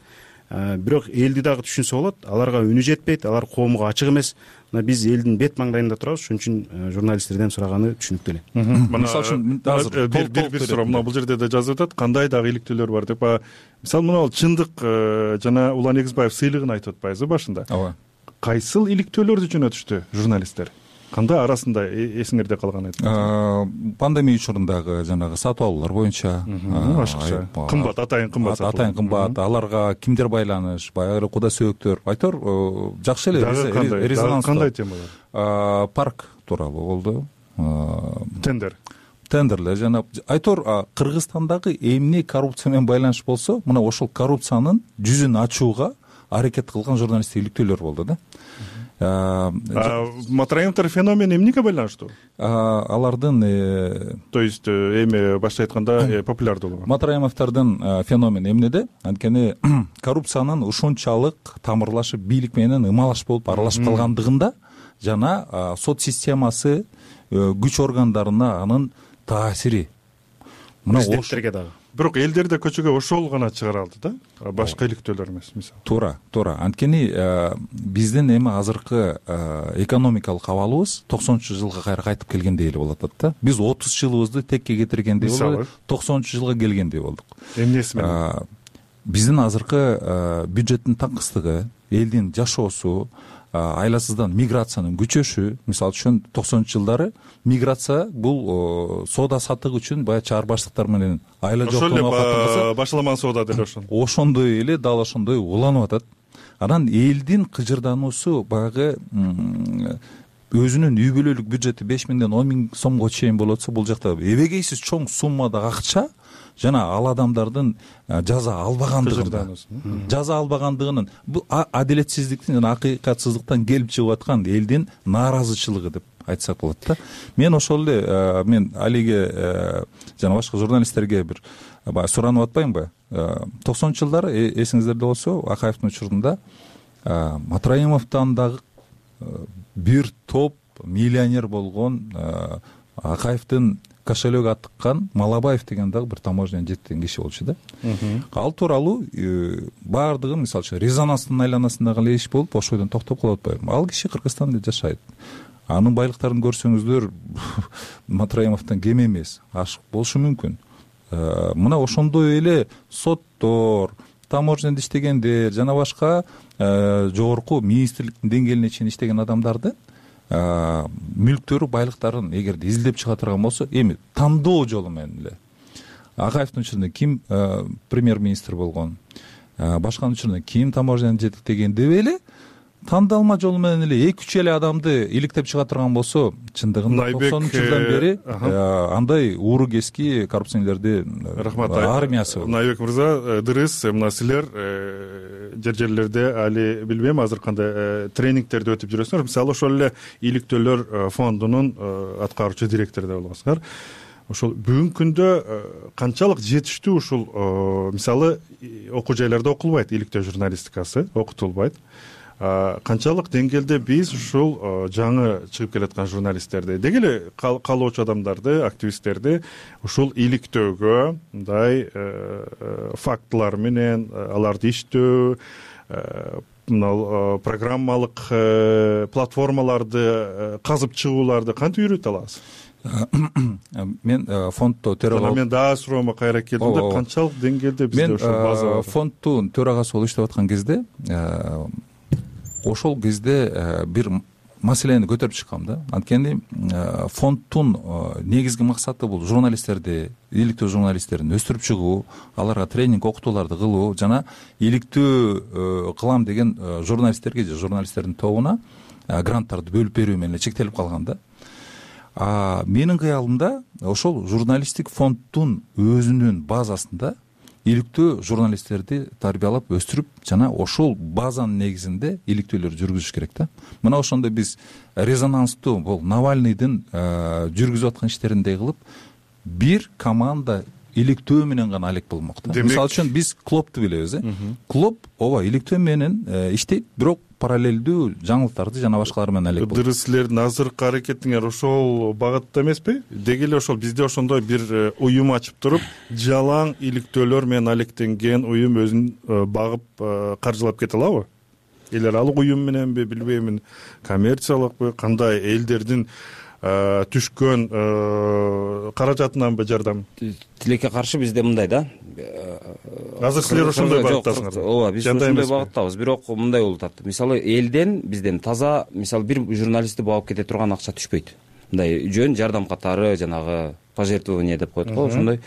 S20: Бирок элди дагы түшүнсө болот, аларга үнү жетпейт, алар коомго ачык эмес. Мына биз элдин бет маңдайында турабыз, ошон үчүн журналисттерден сураганы түшүнүктүү эле.
S15: Мисалы үчүн бир бир суроо, мына бул жерде да жазып атат, кандай дагы иликтөөлөр бар деп. Мисалы мына бул чындык жана Улан Эгизбаев сыйлыгын айтып атпайбызбы башында? Ооба. Кайсыл иликтөөлөрдү жөнөтүштү журналисттер? Кандай арасында эсиңерде калган айтып?
S19: Пандемия учурундагы жанагы сатып алуулар боюнча
S15: ашыкча, кымбат, атайын кымбат,
S19: атайын кымбат, аларга кимдер байланыш, баягы куда сөөгүктөр, айтор жакшы эле резонанс.
S15: Кандай темалар?
S19: Парк тууралуу болду.
S15: Тендер.
S19: Тендерлер жана айтор Кыргызстандагы эмне коррупция менен байланыш болсо, мына ошол коррупциянын жүзүн ачууга аракет кылган журналисттик иликтөөлөр болду да.
S15: Матраимовдор феномен эмнеге байланыштуу?
S19: Алардын
S15: то есть эми башка айтканда популярдуулугу.
S19: Матраимовдордун феномен эмнеде? Анткени коррупциянын ушунчалык тамырлашып, бийлик менен ымалаш болуп аралашып калгандыгында жана сот системасы, күч органдарына анын таасири.
S20: Президенттерге дагы.
S15: Бирок элдерде көчөгө ошол гана чыгара алды да, башка иликтөөлөр эмес мисалы.
S19: Туура, туура. Анткени биздин эми азыркы экономикалык абалыбыз токсонунчу жылга кайра кайтып келгендей эле болуп атат да. Биз отуз жылыбызды текке кетиргендей болуп, токсонунчу жылга келгендей болдук.
S15: Эмнеси менен?
S19: Биздин азыркы бюджеттин таңкыстыгы, элдин жашоосу, айласыздан миграциянын күчөшү, мисалы үчүн токсонунчу жылдары миграция бул соода саттык үчүн баягы чаар баштыктар менен айла жоктоого
S15: ошол башаламан соода деле ошол.
S19: Ошондой эле дал ошондой уланып атат. Анан элдин кыжырдануусу баягы өзүнүн үй бүлөлүк бюджети беш миңден он миң сомго чейин болуп атса, бул жакта эбегейсиз чоң суммада акча жана ал адамдардын жаза албагандыгын, жаза албагандыгынын, бул адилетсиздиктин жана акыйкатсыздыктан келип чыгып аткан элдин нааразычылыгы деп айтсак болот да. Мен ошол эле мен Алиге жана башка журналисттерге бир баягы суранып атпаймынбы? токсонунчу жылдары эсиңиздерде болсо, Акаевдин учурунда Матраимовдон дагы бир топ миллионер болгон, Акаевдин кошелегү аттыккан Малабаев деген дагы бир таможнядан жеткен киши болчу да. Ал тууралуу баардыгы мисалы үчүн резонанстын айланасындагы эле иш болуп, ошойдон токтоп калып атпайбы? Ал киши Кыргызстанда жашайт. Анын байлыктарын көрсөңүздөр Матраимовдон кем эмес, ашык болушу мүмкүн. Мына ошондой эле соттор, таможняда иштегендер жана башка жогорку министрликтин деңгээлине чейин иштеген адамдарды мүлктөрү, байлыктарын эгерде изилдеп чыга турган болсо, эми тандоо жолу менен эле Акаевдин учурунда ким премьер-министр болгон, башканын учурунда ким таможняны жетектеген деп эле тандалма жолу менен эле эки үч эле адамды иликтеп чыга турган болсо, чындыгында токсонунчу жылдан бери андай ууру кески коррупционерлердин
S15: рахмат
S19: армиясы.
S15: Найбек мырза, дырыс, мына силер жер жерлерде али билбейм азыр кандай тренингтерди өтүп жүрөсүңөр. Мисалы ошол эле иликтөөлөр фондунун аткаруучу директору да болгонсуңар. Ошол бүгүнкү күндө канчалык жетиштүү ушул мисалы окуу жайларда окулбайт, иликтөө журналистикасы окутулбайт. Канчалык деңгээлде биз ушул жаңы чыгып келаткан журналисттерди, деги эле каалоочу адамдарды, активисттерди ушул иликтөөгө мындай фактылар менен аларды иштөө, мына программалык платформаларды казып чыгууларды кантип үйрөтө алабыз?
S19: Мен фонддо төрага
S15: мен дагы суроомо кайра келдим да, канчалык деңгээлде бизде ошол база бар?
S19: Мен фонддун төрагасы болуп иштеп аткан кезде ошол кезде бир маселени көтөрүп чыккам да. Анткени фонддун негизги максаты бул журналисттерди, иликтөө журналисттерин өстүрүп чыгуу, аларга тренинг, окутууларды кылуу жана иликтөө кылам деген журналисттерге же журналисттердин тобуна гранттарды бөлүп берүү менен чектелип калган да. А менин кыялымда ошол журналисттик фонддун өзүнүн базасында иликтөө журналисттерди тарбиялап өстүрүп жана ошол базанын негизинде иликтөөлөр жүргүзүш керек да. Мына ошондо биз резонанстуу бул Навальныйдын жүргүзүп аткан иштериндей кылып бир команда иликтөө менен гана алек болмок да. Мисалы үчүн биз клубду билебиз, э? Клуб ооба иликтөө менен иштейт, бирок параллелдүү жаңылыктарды жана башкалар менен алек болот.
S15: Дырыс, силердин азыркы аракетиңер ошол багытта эмеспи? Деги эле ошол бизде ошондой бир уюм ачып туруп, жалаң иликтөөлөр менен алектенген уюм өзүн багып каржылап кете алабы? Элер ал уюм мененби, билбеймин, коммерциялыкпы, кандай элдердин түшкөн каражатынанбы жардам?
S21: Тилекке каршы бизде мындай да.
S15: Азыр силер ошондой багыттасыңар.
S21: Ооба, биз ошондой багыттабыз, бирок мындай болуп атат. Мисалы, элден бизден таза, мисалы, бир журналистти багып кете турган акча түшпөйт. Мындай жөн жардам катары, жанагы пожертвование деп коет го, ошондой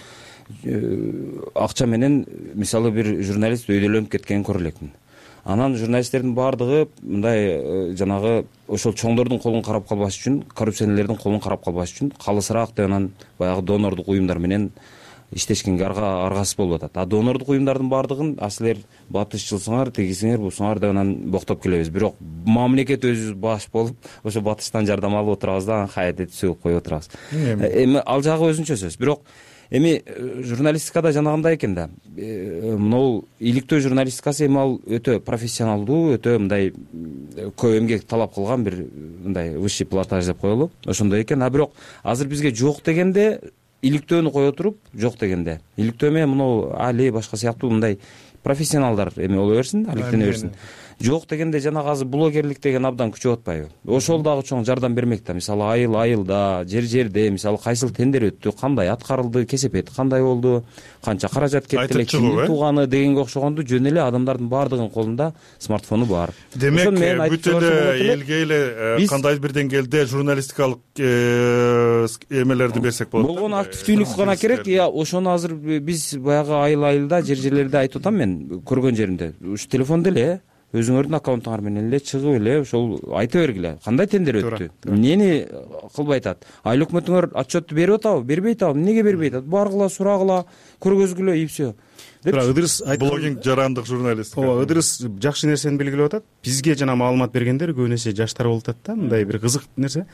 S21: акча менен мисалы бир журналист өйдөлөнүп кеткенин көрө элекмин. Анан журналисттердин баардыгы мындай жанагы ошол чоңдордун колун карап калбаш үчүн, коррупционерлердин колун карап калбаш үчүн калысыраак деп анан баягы донордук уюмдар менен иштешкенге аргасыз болуп атат. А донордук уюмдардын баардыгын а силер батышчылсыңар, тегисиңер, бусуңар деп анан боктоп келебиз. Бирок мамлекет өзүбүз баш болуп, ошо батыштан жардам алып отурабыз да, кайда сөөгүп коюп отурабыз. Эми ал жагы өзүнчө сөз. Бирок эми журналистикада жанагындай экен да. Могу иликтөө журналистикасы эми ал өтө профессионалдуу, өтө мындай көп эмгек талап кылган бир мындай высший пилотаж деп коелу. Ошондой экен. А бирок азыр бизге жок дегенде иликтөөнү кое туруп, жок дегенде иликтөө менен мынау али башка сыяктуу мындай профессионалдар эми боло берсин, алектене берсин. Жок дегенде жанагы азыр блогерлик деген абдан күчөп атпайбы? Ошол дагы чоң жардам бермек да. Мисалы айыл айылда, жер жерде, мисалы кайсыл тендер өттү, кандай аткарылды, кесепет кандай болду, канча каражат кетти эле, кимдин тууганы дегенге окшогондо жөн эле адамдардын баардыгынын колунда смартфону бар.
S15: Демек бүт эле элге эле кандай бир деңгээлде журналистикалык эмелерди берсек болот.
S21: Болгон активдүүлүк гана керек. Я ошону азыр биз баягы айыл айылда, жер жерлерде айтып атам мен, көргөн жеримде. Ушу телефондо эле өзүңөрдүн аккаунтуңар менен эле чыгып эле ошол айта бергиле, кандай тендер өттү, эмнени кылбай атат, айыл өкмөтүңөр отчетту берип атабы, бербей атабы, эмнеге бербей атат, баргыла, сурагыла, көргөзгүлө и все.
S15: Ыдырыс блогинг жарандык журналист.
S20: Ооба, Ыдырыс жакшы нерсени белгилеп атат. Бизге жана маалымат бергендер көбүн эсе жаштар болуп атат да, мындай бир кызык нерсе.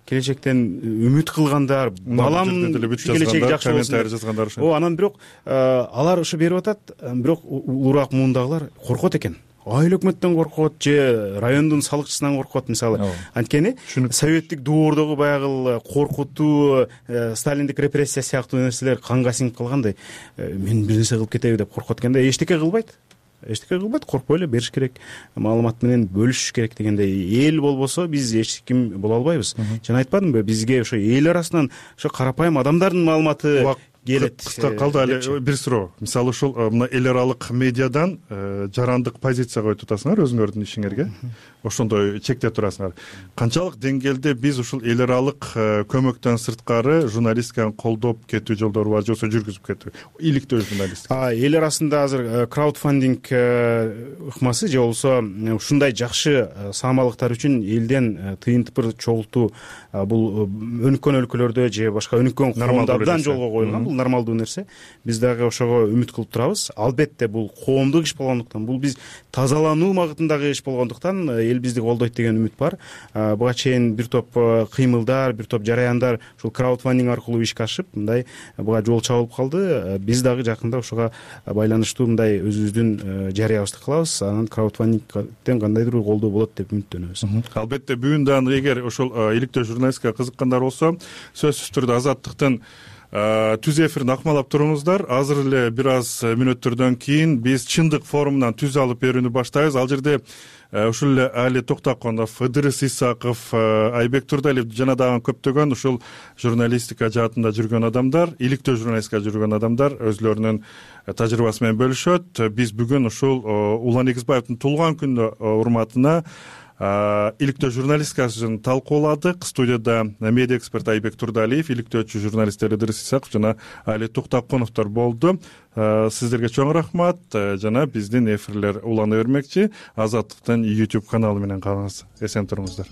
S20: Келечектен үмүт кылгандар, балам келечеги жакшы болсун. Ооба, анан бирок алар ушу берип атат, бирок улуураак муундагылар коркот экен. Айыл өкмөттөн коркот же райондун салыкчысынан коркот мисалы. Анткени советтик доордогу баягы коркутуу, сталиндик репрессия сыяктуу нерселер канга сиңип калгандай, мен бир нерсе кылып кетеби деп коркот экен да, эчтеке кылбайт. Эчтеке кылбайт, коркпой эле бериш керек, маалымат менен бөлүшүш керек дегендей. Эл болбосо биз эч ким боло албайбыз. Жана айтпадымбы, бизге ошо эл арасынан ошо карапайым адамдардын маалыматы келет.
S15: кыска калды эле бир суроо. Мисалы ушул мына эл аралык медиадан жарандык позицияга коюп атасыңар өзүңөрдүн ишиңерге, ошондой чекте турасыңар. Канчалык деңгээлде биз ушул эл аралык көмөктөн сырткары журналистиканы колдоп кетүү жолдору бар, же болбосо жүргүзүп кетүү, иликтөө журналистика?
S20: Эл арасында азыр краудфандинг ыкмасы же болбосо ушундай жакшы саамалыктар үчүн элден тыйын тыпыр чогултуу бул өнүккөн өлкөлөрдө же башка өнүккөн коомдо абдан жолго коюлган. Бул нормалдуу нерсе. Биз дагы ошого үмүт кылып турабыз. Албетте бул коомдук иш болгондуктан, бул биз тазалануу багытындагы иш болгондуктан эл бизди колдойт деген үмүт бар. Буга чейин бир топ кыймылдар, бир топ жараяндар ушул краудфандинг аркылуу ишке ашып, мындай буга жол чабылып калды. Биз дагы жакында ошого байланыштуу мындай өзүбүздүн жарыябызды кылабыз. Анан краудфандингден кандайдыр бир колдоо болот деп үмүттөнөбүз.
S15: Албетте бүгүн дагы эгер ошол иликтөө журналистикага кызыккандар болсо, сөзсүз түрдө Азаттыктын түз эфирин акмалап туруңуздар. Азыр эле бир аз мүнөттөрдөн кийин биз чындык форумунан түз алып берүүнү баштайбыз. Ал жерде ушул эле Али Токтоконов, Ыдырыс Исаков, Айбек Турдалиев жана дагы көптөгөн ушул журналистика жаатында жүргөн адамдар, иликтөө журналистикада жүргөн адамдар өзүлөрүнүн тажрыйбасы менен бөлүшөт. Биз бүгүн ушул Улан Эгизбаевдин туулган күнү урматына иликтөө журналистикасын талкууладык. Студияда медиа эксперт Айбек Турдалиев, иликтөөчү журналисттер Ыдырыс Исаков жана Али Токтоконовдор болду. Сиздерге чоң рахмат жана биздин эфирлер улана бермекчи. Азаттыктын YouTube каналы менен калыңыз. Эсен туруңуздар.